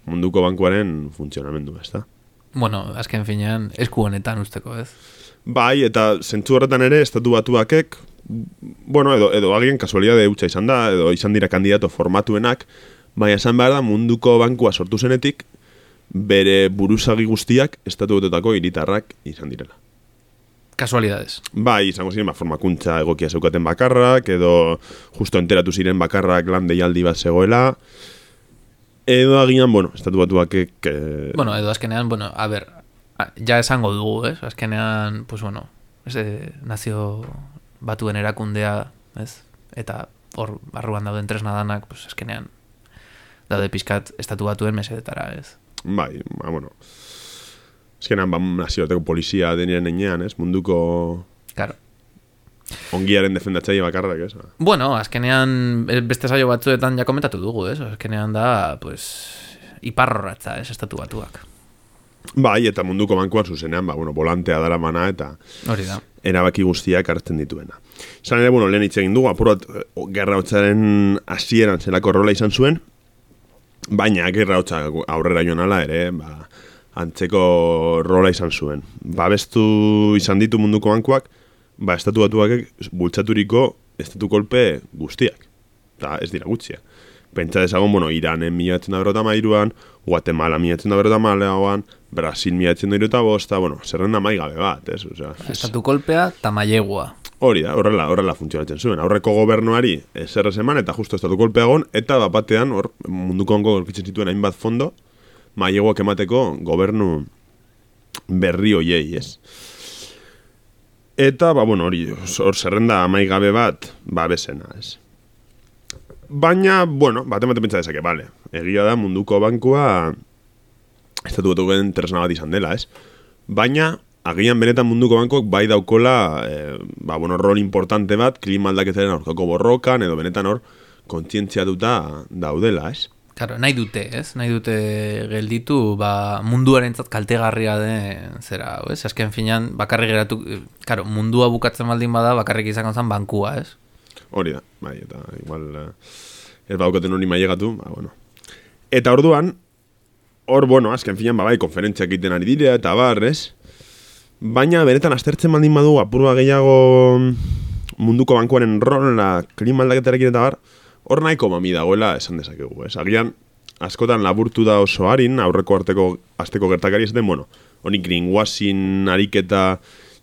munduko bankuaren funtzionamendu, ez da? Bueno, azken finean, esku honetan usteko, ez? Bai, eta zentzu horretan ere, estatu batuakek, bueno, edo, edo agien kasualidade hutsa izan da, edo izan dira kandidato formatuenak, baina esan behar da munduko bankua sortu zenetik, bere buruzagi guztiak estatu batuetako hiritarrak izan direla. Kasualidades. Bai, izango ziren, ba, formakuntza egokia zeukaten bakarrak, edo justo enteratu ziren bakarrak lan deialdi bat zegoela, edo agian, bueno, estatu batuakek... Eh... Bueno, edo azkenean, bueno, a ber, ja esango dugu, ez? Azkenean, pues bueno, ese nazio batuen erakundea, ez? Eta hor barruan dauden tresna danak, pues azkenean daude pizkat estatu batuen mesedetara, ez? Bai, ba, bueno... Azkenean, ba, nazioarteko polizia deniren enean, ez? Munduko... Claro. Ongiaren defendatzaile bakarrak, ez? Bueno, azkenean beste saio batzuetan ja komentatu dugu, ez? Azkenean da, pues, iparrorratza, ez, estatu batuak. Bai, eta munduko bankuan zuzenean, ba, bueno, volantea dara mana eta hori da. Erabaki guztiak hartzen dituena. Zan ere, bueno, lehen hitz egin dugu, apurat, gerra hotzaren hasieran zelako rola izan zuen, baina gerra hotza aurrera joan ala ere, ba, antzeko rola izan zuen. Babestu izan ditu munduko bankuak, ba, estatu batuak bultzaturiko estatu kolpe guztiak. Eta ez dira gutxia. Pentsa dezagon, bueno, Iranen mila etzen da berrota mairuan, Guatemala mila etzen da berrota malauan, Brasil mila etzen da berrota bosta, bueno, zerrenda maigabe bat, ez? O sea, estatu kolpea eta mailegua. Hori da, horrela, horrela funtzionatzen zuen. Aurreko gobernuari ezer ez eman, eta justo estatu kolpea egon, eta bapatean, hor, munduko onko gorkitzen zituen hainbat fondo, maileguak emateko gobernu berri hoiei, ez? Eta, ba, bueno, hori, hor zerrenda amaigabe bat, ba, bezena, ez? Baina, bueno, bat ematen pentsa dezake, bale. Egia da munduko bankua estatu batuken tresna bat izan dela, ez? Baina, agian benetan munduko bankuak bai daukola, eh, ba, bueno, rol importante bat, klima aldaketaren aurkako borrokan, edo benetan hor, kontzientziatuta daudela, ez? Claro, nahi dute, ez? Nahi dute gelditu, ba, munduarentzat kaltegarria den zera, ez? Azken finean, bakarrik geratu, claro, mundua bukatzen baldin bada, bakarrik izango zen bankua, ez? Hori da, bai, eta igual uh, ez baukaten hori mailegatu, ba, bueno. Eta orduan, hor, bueno, azken finan, ba, bai, konferentziak egiten ari dira, eta bar, ez? Baina, benetan, aztertzen baldin badu, apurua gehiago munduko bankuaren rola, klima aldaketarekin eta bar, hor nahiko mami dagoela esan dezakegu, ez? Agian, askotan laburtu da oso harin, aurreko arteko asteko gertakari esaten, bueno, honi greenwashing ariketa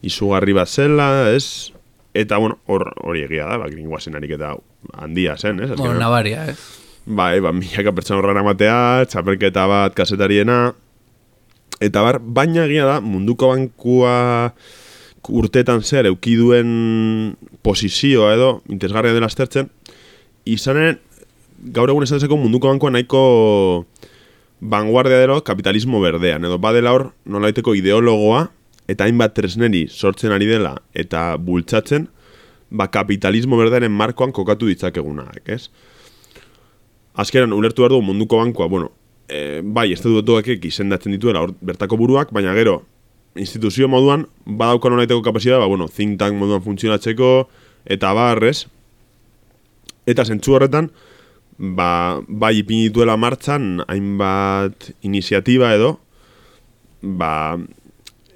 izugarri bat zela, ez? Eta, bueno, hor hori egia da, ba, greenwashing ariketa handia zen, ez? Bueno, nabaria, ez? Bai, ba, milaka pertsona horrela matea, txapelketa bat kasetariena, eta bar, baina egia da, munduko bankua urteetan zer eukiduen posizioa edo, interesgarria dela aztertzen, izanen, gaur egun esan dezeko munduko bankua nahiko vanguardia delo kapitalismo berdean, edo badela hor nolaiteko ideologoa, eta hainbat tresneri sortzen ari dela, eta bultzatzen, ba kapitalismo berdearen markoan kokatu ditzakegunak, ez? Azkeran, ulertu behar dugu munduko bankua, bueno, e, bai, estatutuak izendatzen dituela hor bertako buruak, baina gero, instituzio moduan, badauka nolaiteko kapazitatea, ba, bueno, think tank moduan funtzionatzeko, eta barrez, eta zentzu horretan, ba, bai ipini dituela martxan, hainbat iniziatiba edo, ba,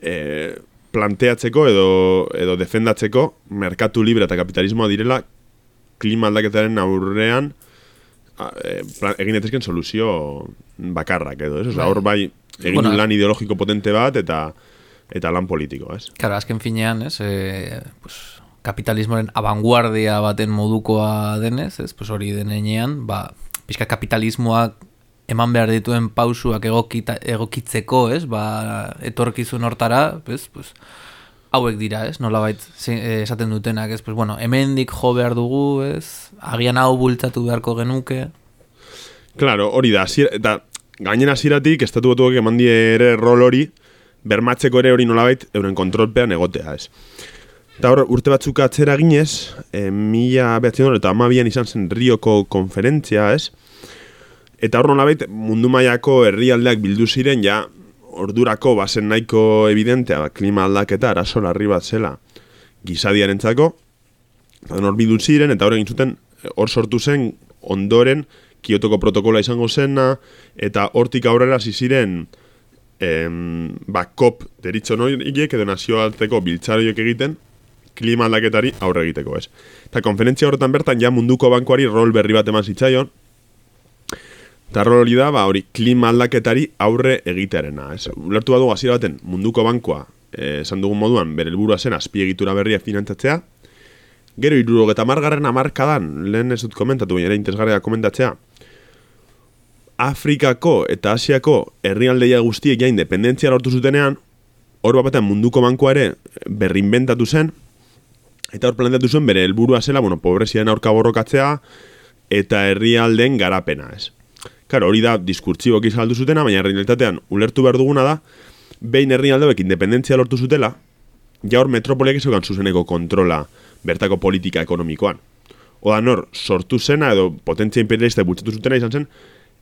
e, planteatzeko edo, edo defendatzeko, merkatu libre eta kapitalismoa direla, klima aldaketaren aurrean, E, egin etezken soluzio bakarrak edo, ez? Osa, hor bai egin bueno, lan ideologiko potente bat eta eta lan politiko, ez? Claro, azken finean, ez? E, pues, kapitalismoren abanguardia baten modukoa denez, ez? Pues hori denean, ba, pixka kapitalismoak eman behar dituen pausuak egokita, egokitzeko, ez? Ba, etorkizun hortara, ez? Pues, hauek dira, ez? Nolabait esaten dutenak, ez? Pues bueno, hemendik jo behar dugu, ez? Agian hau bultzatu beharko genuke. Claro, hori da, asier, eta gainen hasieratik estatu batuak eman die ere rol hori, bermatzeko ere hori nolabait euren kontrolpean egotea, ez? Eta hor, urte batzuk atzera ginez, e, mila behatzen eta amabian izan zen Rioko konferentzia, ez? Eta hor nolabait mundu mailako herrialdeak bildu ziren, ja, ordurako bazen nahiko evidentea, ba, klima aldaketa arazo larri bat zela gizadiarentzako, eta hor bildu ziren, eta hor egin zuten, hor sortu zen ondoren Kiotoko protokola izango zena, eta hortik aurrera hasi ziren em, ba, kop deritxo noiek edo nazioarteko biltzaroiek egiten klima aldaketari aurre egiteko, ez. Eta konferentzia horretan bertan ja munduko bankuari rol berri bat eman zitzaion, eta rol hori da, ba, hori klima aldaketari aurre egitearena, ez. Ulertu badu hasiera baten munduko bankua, eh, esan dugun moduan, bere helburua zen azpiegitura berria finantzatzea, gero hirurogeita hamargarren hamarkadan, lehen ez dut komentatu, baina ere interesgarria komentatzea, Afrikako eta Asiako herrialdeia guztiek ja independentzia lortu zutenean, hor batean munduko bankua ere berrinbentatu zen, eta hor planteatu zuen bere helburua zela, bueno, pobreziaren aurka borrokatzea, eta herrialdeen garapena, ez. Claro, hori da diskurtsiboak izaldu zutena, baina realitatean ulertu behar duguna da, behin herrialdeek independentzia lortu zutela, ja hor metropoliak izaukan zuzeneko kontrola bertako politika ekonomikoan. Oda nor, sortu zena edo potentzia imperialista bultzatu zutena izan zen,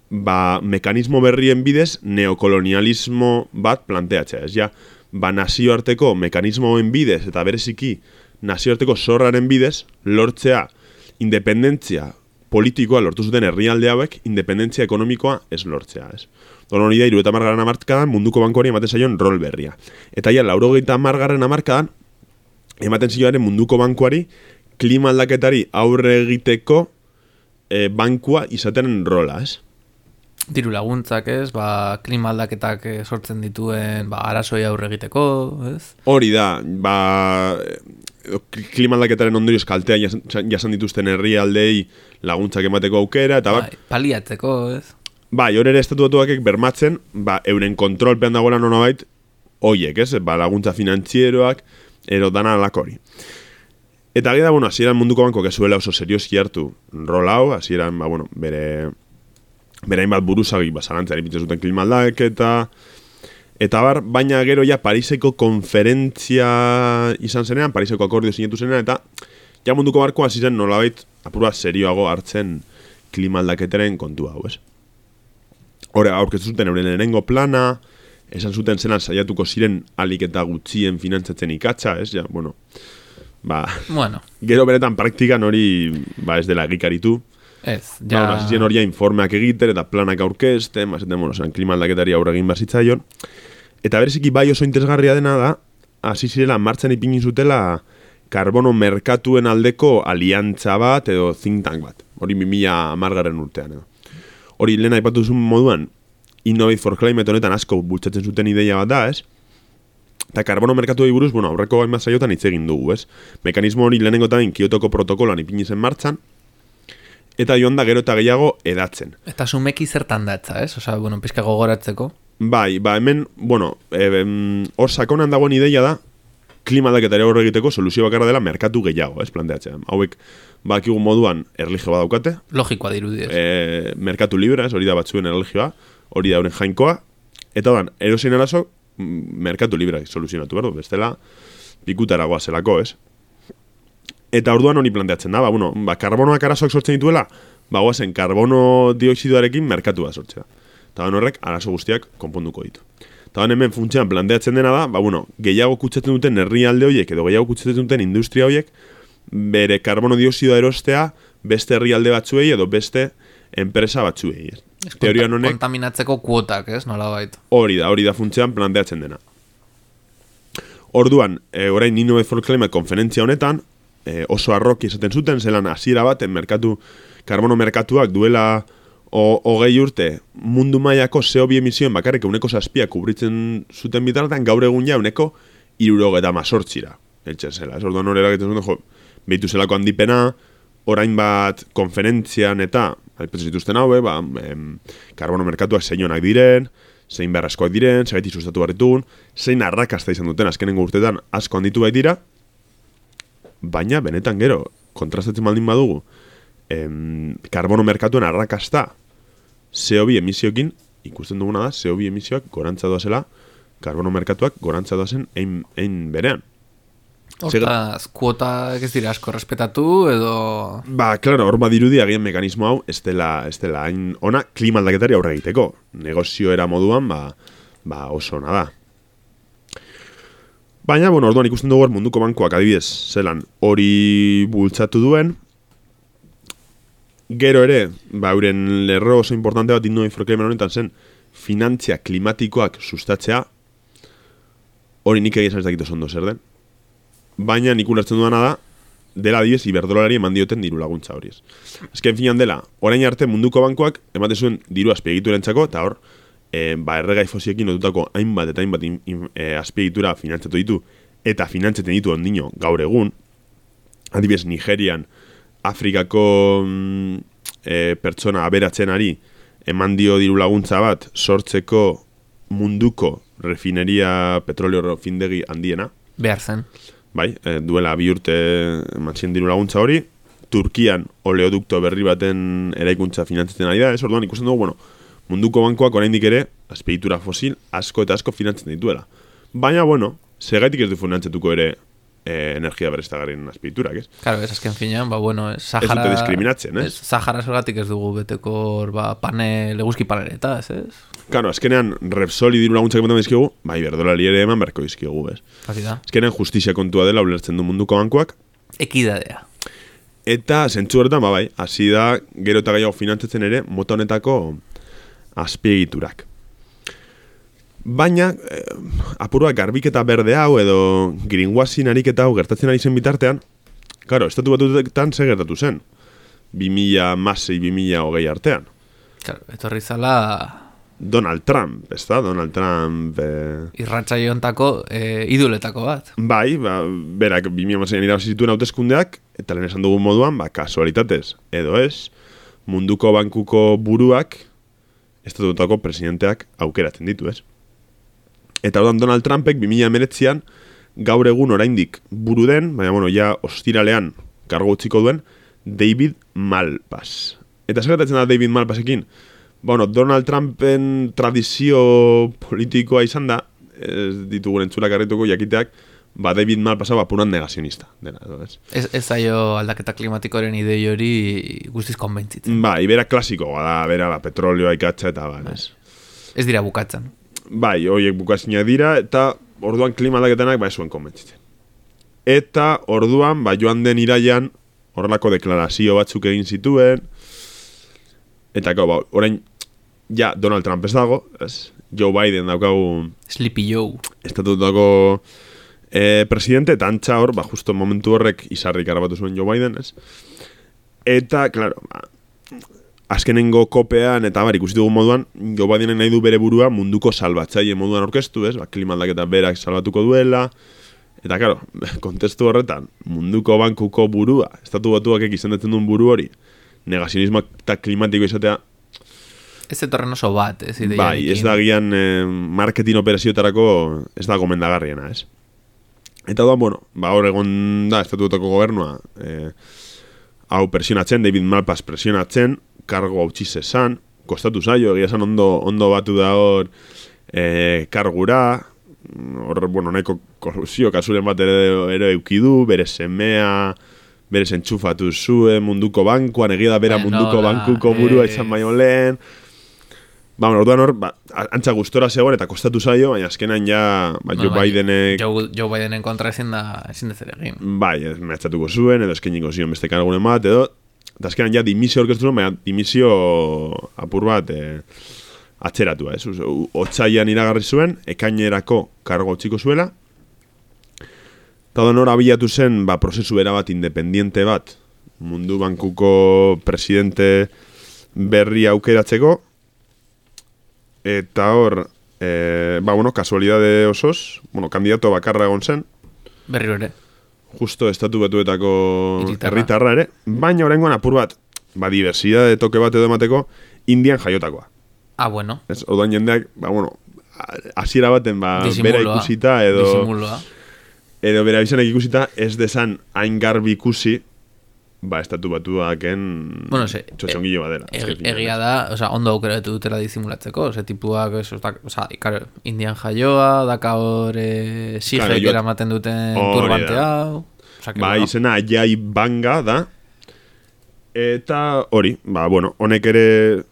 ba, mekanismo berrien bidez neokolonialismo bat planteatzea. Ez ja, ba, nazioarteko mekanismoen bidez eta bereziki nazioarteko zorraren bidez lortzea independentzia politikoa lortu zuten herrialde hauek, independentzia ekonomikoa ez lortzea, ez. Don hori da, hirurogeita hamargarren hamarkadan munduko bankuari ematen zaion rol berria. Eta ja, laurogeita hamargarren hamarkadan ematen zioaren munduko bankuari klima aldaketari aurre egiteko e, bankua izaten rola, ez. Diru laguntzak, ez, ba, klima aldaketak sortzen dituen, ba, arazoi aurre egiteko, ez? Hori da, ba, klima aldaketaren ondorioz kaltea jasan dituzten herrialdei laguntzak emateko aukera, eta bai, paliatzeko, ez? Bai, hor ere estatuatuak bermatzen, ba, euren kontrolpean dagoela nonabait, hoiek, ez? Ba, laguntza finantzieroak, ero dana alakori. Eta gira, bueno, hasieran munduko bankoak ez zuela oso serioski hartu rol hau, hasieran, ba, bueno, bere... berain bat buruzagi basalantzari pintzen zuten klima aldaketa, eta bar, baina gero ja Pariseko konferentzia izan zenean, Pariseko akordio sinatu zenean, eta ja munduko barkoa hasi zen nolabait apurua serioago hartzen klima aldaketaren kontua hau, ez? Hora, aurkeztu zuten euren lehenengo plana, esan zuten zenan saiatuko ziren alik eta gutxien finantzatzen ikatza, ez? Ja, bueno, ba, Bueno, gero beretan praktikan hori ba, ez dela egikaritu. ez, Ja. ja... Ba, hasien horia informeak egiten eta planak aurkezten, ba, esaten, bueno, zan, klima aldaketari aurre egin bazitzaion. Eta bereziki bai oso interesgarria dena da, hasi zirela martxan ipini zutela karbono merkatuen aldeko aliantza bat edo think tank bat. Hori bi mila hamargarren urtean edo. Hori lehen aipatu zuen moduan, Innovate for Climate honetan asko bultzatzen zuten ideia bat da, ez? Eta karbono merkatuei buruz, bueno, aurreko hainbat saiotan hitz egin dugu, ez? Mekanismo hori lehenengo eta Kiotoko protokoloan ipini zen martxan, eta joan da gero eta gehiago edatzen. Eta sumeki zertan datza, ez? Osa, bueno, pizka gogoratzeko. Bai, ba, hemen, bueno, e, hor sakonan dagoen ideia da, klima aldaketari aurre egiteko soluzio bakarra dela merkatu gehiago, ez, planteatzen. Hauek, bakigun moduan erlijio bat daukate, Logikoa dirudi, ez? e, merkatu libre, ez, hori da batzuen erlijioa, hori da euren jainkoa, eta ban, erosin arazo, merkatu libre soluzionatu behar du, bestela, pikutaragoa zelako, ez? Eta orduan hori planteatzen da, ba, bueno, ba, karbonoak arazoak sortzen dituela, ba, guazen, karbono dioxidoarekin merkatua sortzea. Eta horrek arazo guztiak konponduko ditu. Eta hemen funtsean planteatzen dena da, ba, bueno, gehiago kutsatzen duten herrialde horiek edo gehiago kutsatzen duten industria horiek bere karbono dioxidoa erostea beste herrialde batzuei edo beste enpresa batzuei. Ez? Teorian honek kontaminatzeko kuotak, ez? Nolabait. hori da, hori da funtsean planteatzen dena. Orduan, e, orain Innovate for Climate konferentzia honetan, e, oso arroki esaten zuten, zelan hasiera baten merkatu, karbono merkatuak duela hogei urte mundu mailako C O bi emisioen bakarrik euneko zazpia kubritzen zuten bitartean, gaur egun ja euneko hirurogeita hemezortzira. Eltzen zela, ez orduan horrela egiten zuten, jo, behitu zelako handipena, orain bat konferentzian eta, aipatzen zituzten haue, ba, em, karbono merkatuak zeinonak diren, zein beharrezkoak diren, zegaiti sustatu barritugun, zein arrakasta izan duten azkenengo urteetan asko handitu bai dira, baina benetan gero, kontrastatzen baldin badugu, em, karbono merkatuen arrakasta C O bi emisioekin, ikusten duguna da, C O bi emisioak gorantza doazela, karbono merkatuak gorantza doazen ein, ein berean. Hortaz, kuotak ez dira asko respetatu, edo... Ba, klaro, hor badirudi agian mekanismo hau, ez dela, ez dela hain ona klima aldaketari aurre egiteko. Negozio era moduan, ba, ba oso ona da. Baina, bueno, orduan ikusten dugu munduko bankuak adibidez, zelan hori bultzatu duen, gero ere, ba, euren lerro oso importante bat Innovate for Climate honetan zen, finantzia klimatikoak sustatzea, hori nik egin ez dakit oso ondo zer den. Baina nik ulertzen duena da, dela adibidez iberdrolari eman dioten diru laguntza hori ez. Azken finan dela, orain arte munduko bankuak ematen zuen diru azpiegiturentzako, eta hor, e, ba, erregai fosiekin lotutako hainbat eta hainbat in, in, e, azpiegitura finantzatu ditu, eta finantzaten ditu ondino gaur egun, adibidez Nigerian, Afrikako mm, e, pertsona aberatzenari eman dio diru laguntza bat sortzeko munduko refineria petroleo findegi handiena. Behar zen. Bai, e, duela bi urte eman diru laguntza hori, Turkian oleodukto berri baten eraikuntza finantzatzen ari da, ez orduan ikusten dugu, bueno, munduko bankoak oraindik ere azpiegitura fosil asko eta asko finantzatzen dituela. Baina, bueno, segaitik ez du finantzatuko ere eh, energia berriztagarrien azpiegiturak, ez? Claro, ez azken finean, ba, bueno, ez Sahara... Ez dute diskriminatzen, ez? ez Sahara zergatik ez dugu beteko, ba, panel, eguzki paneleta, ez, ez? Claro, azkenean Repsoli diru laguntzak ematen dizkigu, bai, berdolari ere eman beharko dizkigu, ez? Hasi da. Azkenean justizia kontua dela ulertzen du munduko bankuak, Ekidadea. eta zentzu horretan, ba, bai, hasi da gero eta gehiago finantzatzen ere mota honetako azpiegiturak. Baina, eh, apurua garbiketa berde hau edo greenwashing ariketa hau gertatzen ari zen bitartean, claro, estatu batuetan ze gertatu zen. bi mila hamasei bi mila hogei artean. Claro, etorri zala Donald Trump, ez da? Donald Trump... Eh... irratsaiontako eh, idoletako bat. Bai, ba, berak bi mila hamaseian irabazi zituen hauteskundeak, eta lehen esan dugun moduan, ba, kasualitatez, edo ez, munduko bankuko buruak, estatutako presidenteak aukeratzen ditu, ez? Eta orduan Donald Trumpek bi mila hemeretzian gaur egun oraindik buru den, baina bueno, ja ostiralean kargo utziko duen, David Malpass. Eta zer gertatzen da David Malpassekin? Bueno, Donald Trumpen tradizio politikoa izan da, ez ditugun entzulak arrituko jakiteak, ba David Malpass ba puran negazionista dena, ez? Ez, ez zaio aldaketa klimatikoaren idei hori guztiz konbentzitzen. Ba, ibera klasikoa da, bera, ba, petrolioa ikatza eta ba, ez? Ez dira bukatzen. Bai, horiek bukazinak dira, eta orduan klima aldaketanak ba ez zuen konbentzitzen. eta orduan, ba, joan den iraian, horrelako deklarazio batzuk egin zituen, eta gau, ba, orain, ja, Donald Trump ez dago, ez? Joe Biden daukagu... Sleepy Joe. Estatutako eh, presidente, eta antza hor, ba, justo momentu horrek izarrik arabatu zuen Joe Biden, ez? Eta, klaro, ba, azkenengo kopean, eta bar, ikusi dugun moduan, Joe Bidenen nahi du bere burua munduko salbatzaile moduan orkestu, ez? Ba, klima aldaketa berak salbatuko duela, eta, klaro, kontestu horretan, munduko bankuko burua, estatu batuak izendatzen duen buru hori, negazionismo eta klimatiko izatea, ez etorren oso bat, ez ideia. Bai, ez da gian eh, marketing operazioetarako ez da gomendagarriena, ez? Eta da, bueno, ba, hor egon da, estatutako gobernua, eh, hau presionatzen, David Malpass presionatzen, kargo hau txizezan, kostatu zaio, egia esan ondo, ondo batu da hor eh, kargura, hor, bueno, nahiko korrupzio kasuren bat ere, ere eukidu, bere semea, bere entxufatu zuen munduko bankuan, egia da bera Bueno, munduko da, bankuko burua eh. izan baino lehen. Ba, bueno, orduan hor, ba, antza gustora zegoen eta kostatu zaio, baina azkenan ja, ba, Joe bai, Bidenek... Joe, Joe Bidenen kontra ezin da, ezin dezer egin. Bai, ez mehatxatuko zuen, edo eskeniko zion beste kargunen bat, edo... Eta azkenan ja dimisio orkestu zuen, baina dimisio apur bat e, atzeratua, ez? Otsaian iragarri zuen, ekainerako kargo txiko zuela, eta da nora abilatu zen, ba, prozesu erabat independiente bat, mundu bankuko presidente berri aukeratzeko, eta hor, e, ba, bueno, kasualidade osoz, bueno, kandidato bakarra egon zen, Berriro ere. justo estatu batuetako Hiritarra. herritarra ere, baina oraingoan apur bat, ba, diversidade toke bat edo emateko, Indian jaiotakoa. Ah, bueno. Ez, odoan jendeak, ba, bueno, hasiera baten, ba, Disimuloa. bera ikusita, edo, Disimuloa. edo bera izanek ikusita, ez desan hain garbi ikusi, ba, estatu batuaken Bueno, ze, txotxongillo badela. e, Azken finean, egia ez. da, oza, ondo aukeratu dutela disimulatzeko, ze tipuak, eso, da, oza, ikaro, Indian jaioa, daka hor e, Claro, sigek jo- eramaten duten Hori turbante da. hau. Oza, que, Ba, bueno, izena Ajay Banga da. Eta hori, ba, bueno, honek ere,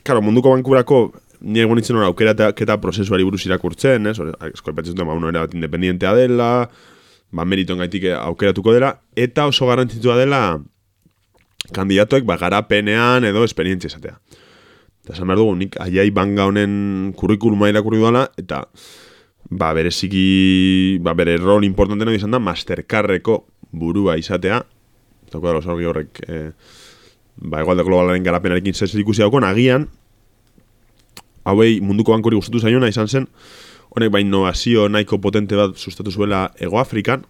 claro, munduko bankurako ni egon nintzen hori aukeraketa prozesuari buruz irakurtzen, ez? Eskolpatzen duten, ba, uno era bat independientea dela, ba, meriton gaitik aukeratuko dela, eta oso garrantzitsua dela kandidatuek, ba, garapenean edo esperientzia izatea. Eta esan behar dugu, nik Ajay Banga honen kurrikuluma irakurri duela, eta ba, bereziki, ba, bere rol importantena izan da Mastercardreko burua izatea, eta da, los argi horrek, eh, ba, egualde globalaren garapenarekin zer ikusi daukon, agian, hauei munduko bankori gustatu zaiona izan zen, honek ba, innovazio nahiko potente bat sustatu zuela Ego Afrikan,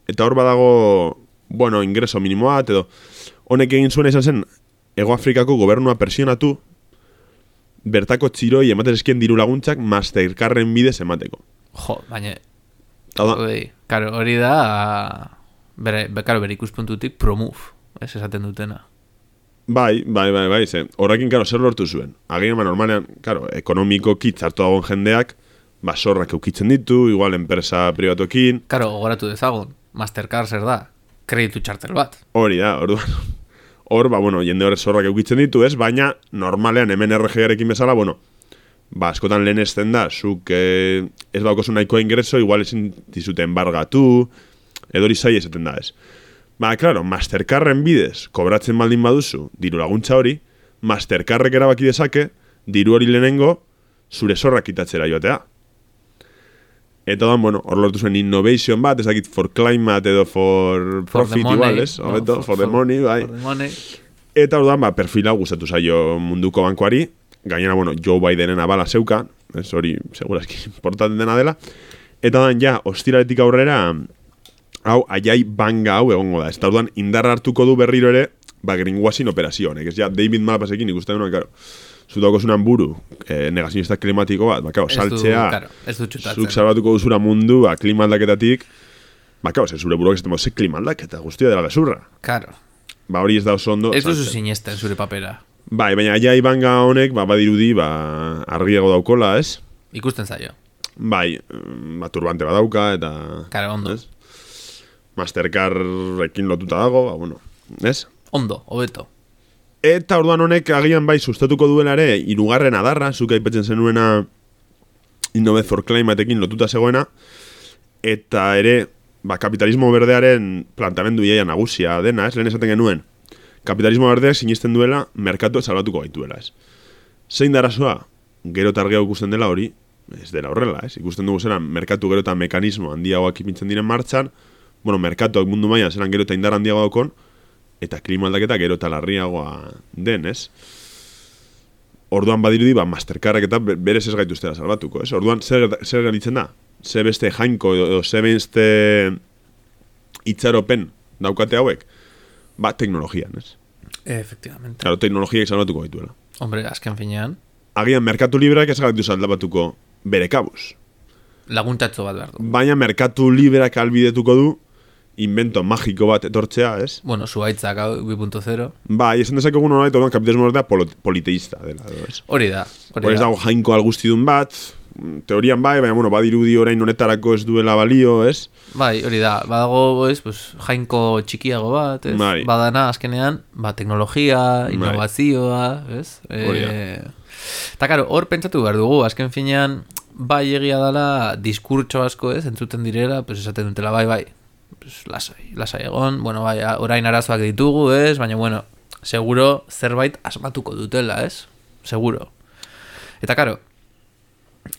eta hor badago, bueno, ingreso minimoa, edo, honek egin zuena izan zen, Ego Afrikako gobernua presionatu, bertako txiroi ematen eskien diru laguntzak Mastercardren bidez emateko. jo, baina, Hau da, hori, karo, hori da, bere, be, karo, bere ikuspuntutik promove, ez esaten dutena. bai, bai, bai, bai, ze, horrekin, karo, zer lortu zuen. Agian, ba, normalean, karo, ekonomiko kitzartu dagoen jendeak, ba, zorrak eukitzen ditu, igual, enpresa privatuekin, Karo, gogoratu dezagun, Mastercard zer da, kreditu txartel bat. hori da, orduan, hor, ba, bueno, jende horre zorrak eukitzen ditu, ez, baina, normalean, hemen R G arekin bezala, bueno, ba, askotan lehen ezten da, zuk eh, ez baukozu nahikoa ingreso, igual ezin dizute embargatu, edo hori zai esaten da, ez. Ba, claro, Mastercardren bidez, kobratzen baldin baduzu, diru laguntza hori, Mastercardrek erabaki dezake, diru hori lehenengo, zure zorrak kitatzera joatea. Eta da, bueno, hor lortu zuen innovation bat, ez dakit for climate edo for For the profit money, igual, ez? no, Hobeto, for- for the for- money, bai. For the money. Eta orduan, ba, perfila gustatu zaio munduko bankuari, gainera, bueno, Joe Bidenen abala zeuka, ez hori, segurazki, importante dena dela, eta dan, ja, ostiraletik aurrera, hau, Ajay Banga hau egongo da, ez da orduan, indarra hartuko du berriro ere, ba, greenwashing operazio honek, ez ja, David Malpassekin ikusten duen, karo, zutako zunan buru, eh, negazionista klimatiko bat, ba, karo, Ez du, saltzea, karo, ez du txutatzen. zuk salbatuko duzura mundu, ba, klima aldaketatik, ba, karo, ze zure buruak ez temo, ze klima aldaketa, guztia dela gezurra. Karo, Ba, hori ez da oso ondo. ez duzu saltzen. sinesten zure papera. Bai, baina Ajay Banga honek, ba, badirudi, ba, argiago daukola, ez? Ikusten zaio. Bai, mm, ba, turbante badauka, eta... Karo, ondo. Ez? Mastercardrekin lotuta dago, ba, bueno, ez? Ondo, hobeto. Eta orduan honek agian bai sustatuko duela ere, hirugarren adarra, zuk aipatzen zenuena Innove for Climateekin lotuta zegoena, eta ere, ba, kapitalismo berdearen plantamendu iaia nagusia dena, ez? Lehen esaten genuen, kapitalismo berdeak sinisten duela, merkatuak salbatuko gaituela, ez? Zein da arazoa? Gero eta argiago ikusten dela hori, ez dela horrela, ez? Ikusten dugu zelan, merkatu gero eta mekanismo handiagoak ipintzen diren martxan, bueno, merkatuak mundu mailan zelan gero eta indar handiago daukon, eta klima aldaketa gero eta larriagoa den, ez? Orduan badirudi, ba, Mastercardek eta berez ez gaituztela salbatuko, ez? Orduan, zer, zer galitzen da? Ze beste jainko edo ze beste itxaropen daukate hauek? Ba, teknologian, ez? Efectivamente. Claro, teknologiak salbatuko gaituela. Hombre, azken finean. Agian, merkatu libreak ez gaitu salbatuko bere kabuz. Laguntatxo bat behar du. Baina, merkatu libreak albidetuko du invento magiko bat etortzea, ez? Bueno, zuaitzak bi punto zero. Ba, esan dezakegu nolait, orduan kapitalismo berdea politeísta dela, ez? Hori da. Hori ez dago jainko algustidun bat, teorian bai, baina, bueno, badirudi orain honetarako ez duela balio, ez? Bai, hori da, badago, ez, pues, jainko txikiago bat, ez? Bai. Badana, azkenean, ba, teknologia, innovazioa, ez? Hori da. E, eta, karo, hor pentsatu behar dugu, azken finean, bai egia dela, diskurtso asko, ez, entzuten direla, pues, esaten dutela, bai, bai, pues, lasai, lasai egon, bueno, bai, orain arazoak ditugu, ez? Baina, bueno, seguro zerbait asmatuko dutela, ez? Seguro. Eta, karo,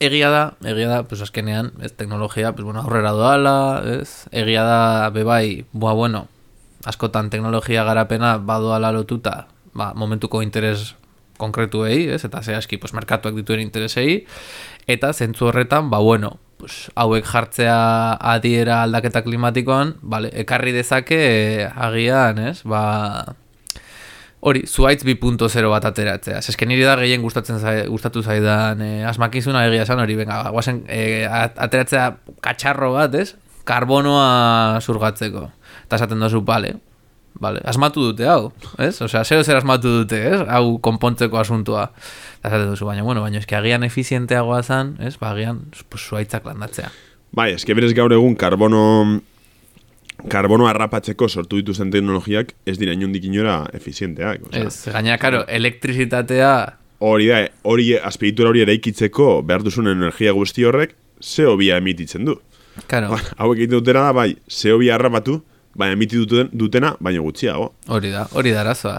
egia da, egia da, pues azkenean, ez, teknologia, pues bueno, aurrera doala, ez? Egia da, bebai, boa, bueno, askotan teknologia garapena badoala lotuta, ba, momentuko interes konkretuei, ez? Eta zehazki, pues, merkatuak dituen interesei, eta zentzu horretan, ba, bueno, pues, hauek jartzea adiera aldaketa klimatikoan, vale, ekarri dezake, eh, agian, ez? Ba, hori, zuaitz bi punto zero bat ateratzea. Eske niri da gehien gustatzen zai, gustatu zaidan eh, asmakizuna egia esan hori, venga, guazen eh, ateratzea katxarro bat, ez? Karbonoa zurgatzeko. Eta esaten dozu, bale, bale, asmatu dute hau, ez? Osea, zeo zer asmatu dute, ez? Hau konpontzeko asuntua. Eta esaten dozu, baina, bueno, baina eski agian efizienteagoa zan, ez? Ba, agian, pues, zuaitzak landatzea. Bai, eske berez gaur egun karbono karbono harrapatzeko sortu dituzten teknologiak ez dira inondik inora efizienteak. O sea, ez, gaina, karo, elektrizitatea... Hori da, hori azpiegitura hori eraikitzeko behar duzun energia guzti horrek C O bi emititzen du. Claro. Ba, hauek egiten dutena da, bai, C O bi harrapatu, baina emiti duten, dutena, baina gutxiago. Hori da, hori da arazoa.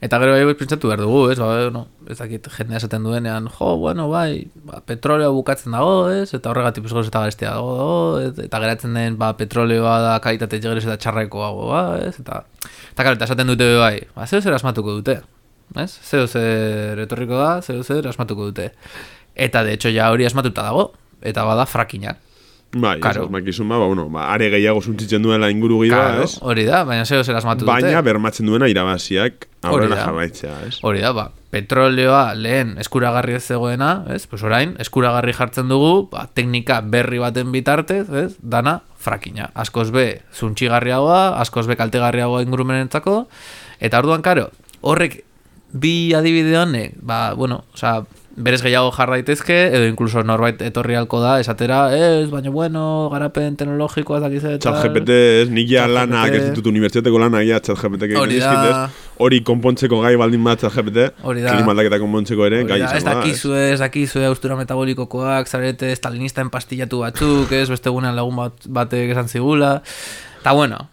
Eta gero bai pentsatu behar dugu, ez? Ba, no, ez dakit jendea esaten duenean, jo, bueno, bai, ba, petroleo bukatzen dago, ez? Eta horregatik pues, eta garestea dago, dago, eta geratzen den, ba, petroleoa da kalitate jegeres eta txarrekoago, ba, ez? Eta, eta karo, eta esaten dute bai, ba, zeo zer asmatuko dute, ez? Zeo zer etorriko da, zeo zer asmatuko dute. Eta, de hecho, ja hori asmatuta dago, eta bada frakinga. Bai, claro. ez makizun ba, bueno, ba, are gehiago zuntzitzen duela inguru gehiago, claro, ez? Hori da, baina zeo zer asmatu dute. Baina bermatzen duena irabaziak aurrera jarraitzea, ez? Hori da, ba, petroleoa lehen eskuragarri ez zegoena, ez? Pues orain, eskuragarri jartzen dugu, ba, teknika berri baten bitartez, ez? Dana frakina. Askoz be, zuntxigarriagoa, askoz be kaltegarriagoa ingurumenentzako, eta orduan, karo, horrek bi adibide honek, ba, bueno, osea, berez gehiago jar daitezke, edo incluso norbait etorri halko da, esatera, ez, baina bueno, garapen teknologikoa dakiz eta... ChatGPT, ez, nik ja lana, ez ditut unibertsitateko lana, ja ChatGPT hori da, hori konpontzeko gai baldin bat ChatGPT, klima aldaketa konpontzeko ere, gai izango da. Ez dakizue, ez dakizue, austura metabolikokoak, zarete, stalinista empastillatu batzuk, ez, beste gunean lagun bat, batek esan zigula, eta bueno,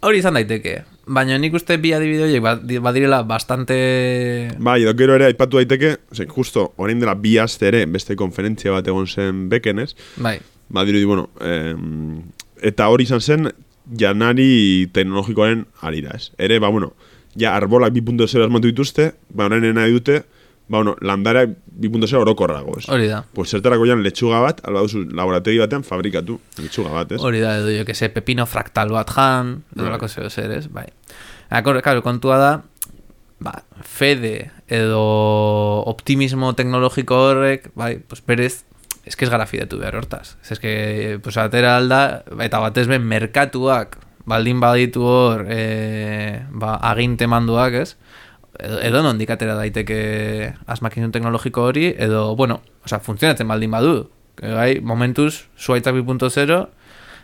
hori izan daiteke. Baina nik uste bi adibide horiek badirela bastante... Bai, edo gero ere aipatu daiteke, ose, justo, orain dela bi aste ere, beste konferentzia bat egon zen beken, ez? Bai. Badirudi, bueno, eh, eta hori izan zen janari teknologikoaren arira, ez? Ere, ba, bueno, ja arbolak bi punto zero asmatu dituzte, ba, orain nahi dute, ba, bueno, landara bi punto zero orokorrago, ez? Hori da. Pues zertarako jan letxuga bat, alba duzu laborategi batean fabrikatu letxuga bat, ez? Hori da, edo jo que se pepino fraktal bat jan, edo lako zeo zer, ez? Bai. Claro, kontua da, ba, fede edo optimismo teknologiko horrek, bai, pues berez, ez que ez gara fidetu behar hortaz. Ez que, pues, atera alda, eta batez ben merkatuak, baldin baditu hor, e, ba, aginte manduak, ez? Edo, edo nondik atera daiteke asmakizun teknologiko hori, edo, bueno, oza, funtzionatzen baldin badu. Bai, momentuz, zuaitzak bi punto zero,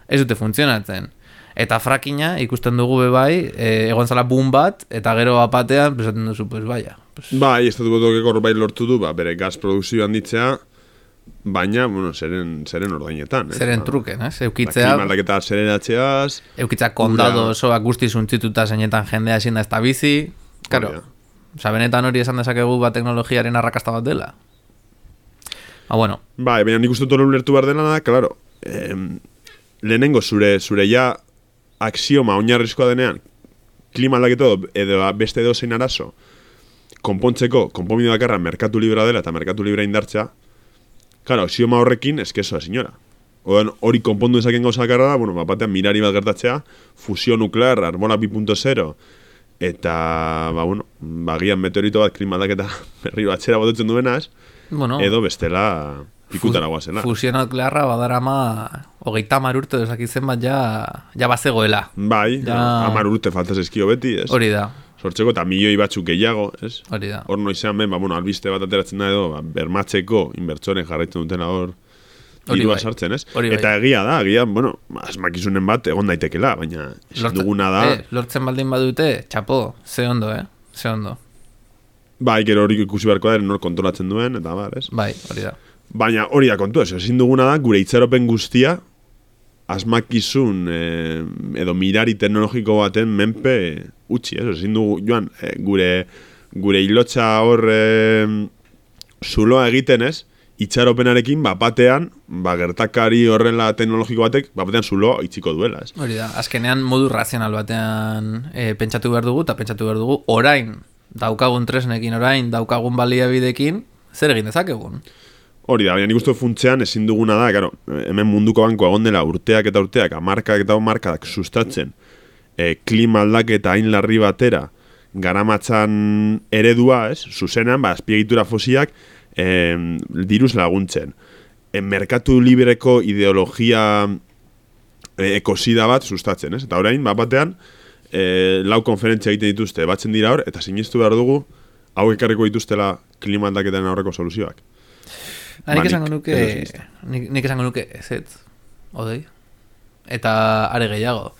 ez dute funtzionatzen. Eta frakina ikusten dugu bebai, e, egon zala boom bat, eta gero apatean, pesaten duzu, pues, baia. Pues... Bai, estatu botoke hor bai lortu du, ba, bere gaz produkzioan ditzea, baina, bueno, zeren, zeren ordainetan. Eh? Zeren truken, ez? Eukitzea... Klima aldaketa zereratzeaz... Eukitzea kondado osoak guzti zuntzituta zeinetan jendea ezin da ez da bizi... Karo, oza, benetan hori esan dezakegu bat teknologiaren arrakasta bat dela. Ah, bueno. Ba, baina nik uste dut hori ulertu behar dela da, klaro, eh, lehenengo zure, zure ja axioma oinarrizkoa denean, klima aldaketa edo beste edo zein arazo, konpontzeko, konponbide bakarra merkatu libra dela eta merkatu libra indartza, claro, axioma horrekin eskezoa senyora. Odan hori konpondu dezaken gauza bakarra da, bueno, bapatean mirari bat gertatzea, fusio nuklear, arbola bi puntu zero, eta, ba, bueno, bagian meteorito bat klima aldaketa berri batzera botatzen duena, ez? Bueno, edo bestela pikutara guazela. Fusio nuklearra badarama hogeita hamar urte dezakitzen bat ja, ja bazegoela. Bai, ja... hamar urte faltaz eskio beti, ez? Hori da. Sortzeko eta milioi batzuk gehiago, ez? Hori da. Hor noizean ben, ba, bueno, albiste bat ateratzen da edo, ba, bermatzeko inbertsoren jarraitzen dutena hor dirua bai. Sartzen, ez? Hori eta bai. Egia da, egia, bueno, asmakizunen bat egon daitekela, baina ezin duguna da... Eh, lortzen baldin badute, txapo, ze ondo, eh? Ze ondo. Bai, gero hori ikusi beharko da, nor kontrolatzen duen, eta bar, ez? Bai, hori da. Baina hori da kontu, ez, ezin duguna da, gure itxaropen guztia, asmakizun eh, edo mirari teknologiko baten menpe utzi, ez? Ezin dugu, joan, eh, gure, gure hilotxa hor eh, zuloa egiten, ez? Itxaropenarekin, bapatean, ba, gertakari horrela teknologiko batek, bapatean zuloa itziko duela, ez? Hori da, azkenean modu razional batean eh, pentsatu behar dugu, eta pentsatu behar dugu, orain, daukagun tresnekin, orain, daukagun baliabidekin, zer egin dezakegun? Hori da, baina nik uste funtzean ezin duguna da, karo, hemen munduko banko egon dela urteak eta urteak, amarkak eta markadak sustatzen, e, klima aldaketa hain larri batera, garamatzan eredua, ez, zuzenean, ba, azpiegitura fosiak, e, diruz laguntzen. E, merkatu libreko ideologia e, ekosida bat sustatzen, ez? Eta orain, bat batean, e, lau konferentzia egiten dituzte, batzen dira hor, eta sinistu behar dugu, hau ekarriko dituztela klima aldaketaren aurreko soluzioak. Ha, nik esango nuke, nik, nik esango nuke, ez ez, odei, eta are gehiago.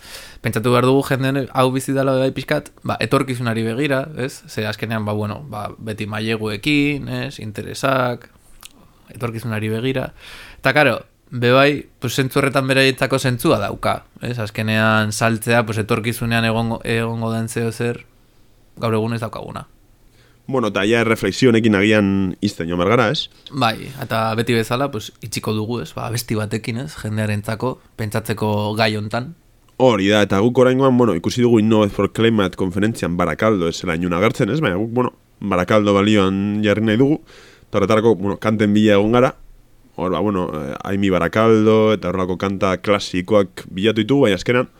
Pentsatu behar dugu jenden hau bizi dela bai pixkat, ba, etorkizunari begira, ez? Ze azkenean, ba, bueno, ba, beti maileguekin, ez? Interesak, etorkizunari begira. Eta, karo, bebai, pues, zentzu horretan beraietako zentzua dauka, ez? Azkenean saltzea, pues, etorkizunean egongo, egongo den zeo zer, gaur egun ez daukaguna. Bueno, eta ja reflexionekin agian izten jo mergara, ez? Bai, eta beti bezala, pues, itxiko dugu, ez? Ba, besti batekin, ez? Jendearentzako, pentsatzeko gai hontan. Hori da, eta guk oraingoan, bueno, ikusi dugu Innovate for Climate konferentzian Barakaldo ez zela inuna agertzen, ez? Baina guk, bueno, Barakaldo balioan jarri nahi dugu, eta horretarako, bueno, kanten bila egon gara, hor, ba, bueno, Aimi Barakaldo, eta horrelako kanta klasikoak bilatu ditugu, baina azkenan,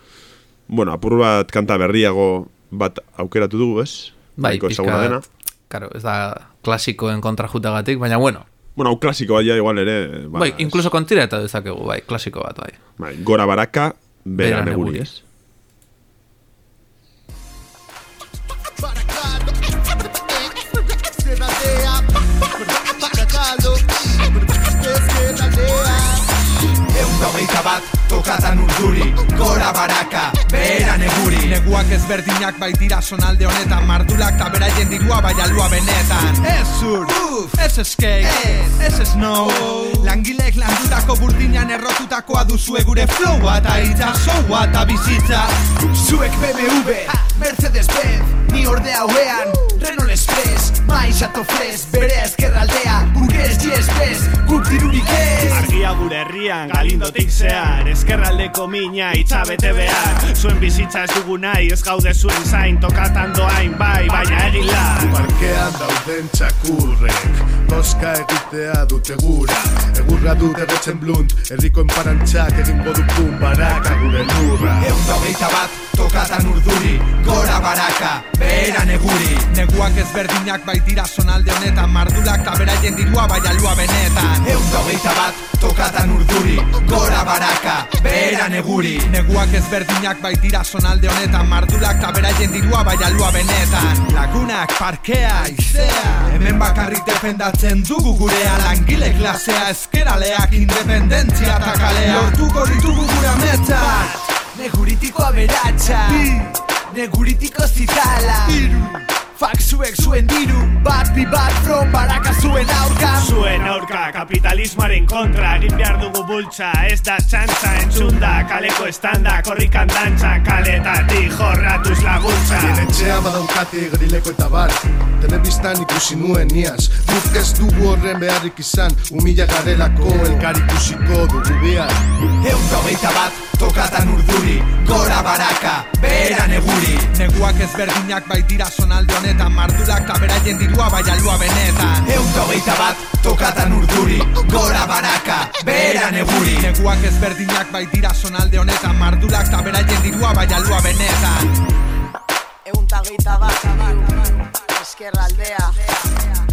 bueno, apur bat kanta berriago bat aukeratu dugu, ez? Bai, pixka... Claro, ez da klasikoen kontrajutagatik, baina bueno. Bueno, hau klasiko bat ja igual ere... Ba, bai, incluso kontira eta dezakegu, bai, klasiko bat, bai. Bai, Gora Baraka, Bera Neguri, ez? Hogeita bat, tokatan urduri, Gora Baraka, Bera Neguri. Neguak ezberdinak baitira sonalde honetan, mardulak eta beraien dirua bai alua benetan. Ez zur, ez skate, ez snow, langileek landutako burdinan errotutakoa duzue gure flowa eta itxasoa eta bizitza. Zuek B M W, Mercedes-Benz, ni orde hauean, Renault Express, Maisato Fres, bere ezkerraldea, burgues G-Express, guk dirurik ez. Argia gure herrian, galindotik zehar, ezkerraldeko mina itxabete behar. Zuen bizitza ez dugu nahi, ez gaude zuen zain, tokatan doain bai, baina egin la. Parkean dauden txakurrek, toska egitea dute gura. Egurra dute retzen blunt, herriko enparantxak egingo dukun Baraka gure lurra. Egun hogeita bat, tokatan urduri, Gora Baraka, Bera Neguri. Neguak ezberdinak baitira sonalde honetan, mardulak eta beraien dirua bai alua benetan. Egun hogeita bat, tokatan urduri, Gora Baraka, Bera Neguri. Neguak ezberdinak baitira sonalde honetan, mardulak eta beraien dirua bai alua benetan. Lagunak, parkea, izea, hemen bakarrik defendatzen dugu gurea. Langile klasea, ezkeraleak, independentzia eta kalea. Lortuko ditugu gure ametzak, neguritiko aberatsa, neguritiko zitala, Fak zuek zuen diru, bat bi bat from Baraka zuen aurka. Zuen aurka kapitalismoaren kontra egin behar dugu bultza, ez da txantza entzunda, kaleko estanda, korrikan dantza, kaletatik jorratuz laguntza. Bien etxea badaukate gerileko eta bar, telebistan ikusi nuen iaz, guk ez dugu horren beharrik izan, humila garelako elkar ikusiko dugu behar. Eun hogeita bat, tokatan urduri, gora baraka, behera neguri. Neguak ezberdinak baitira zonalde honetan, mardulak taberaien dirua bai alua benetan. Eun hogeita bat, tokatan urduri, gora baraka, behera neguri. Neguak ezberdinak baitira zonalde honetan, mardulak taberaien dirua bai alua benetan. Eun hogeita bat, ezkerraldea.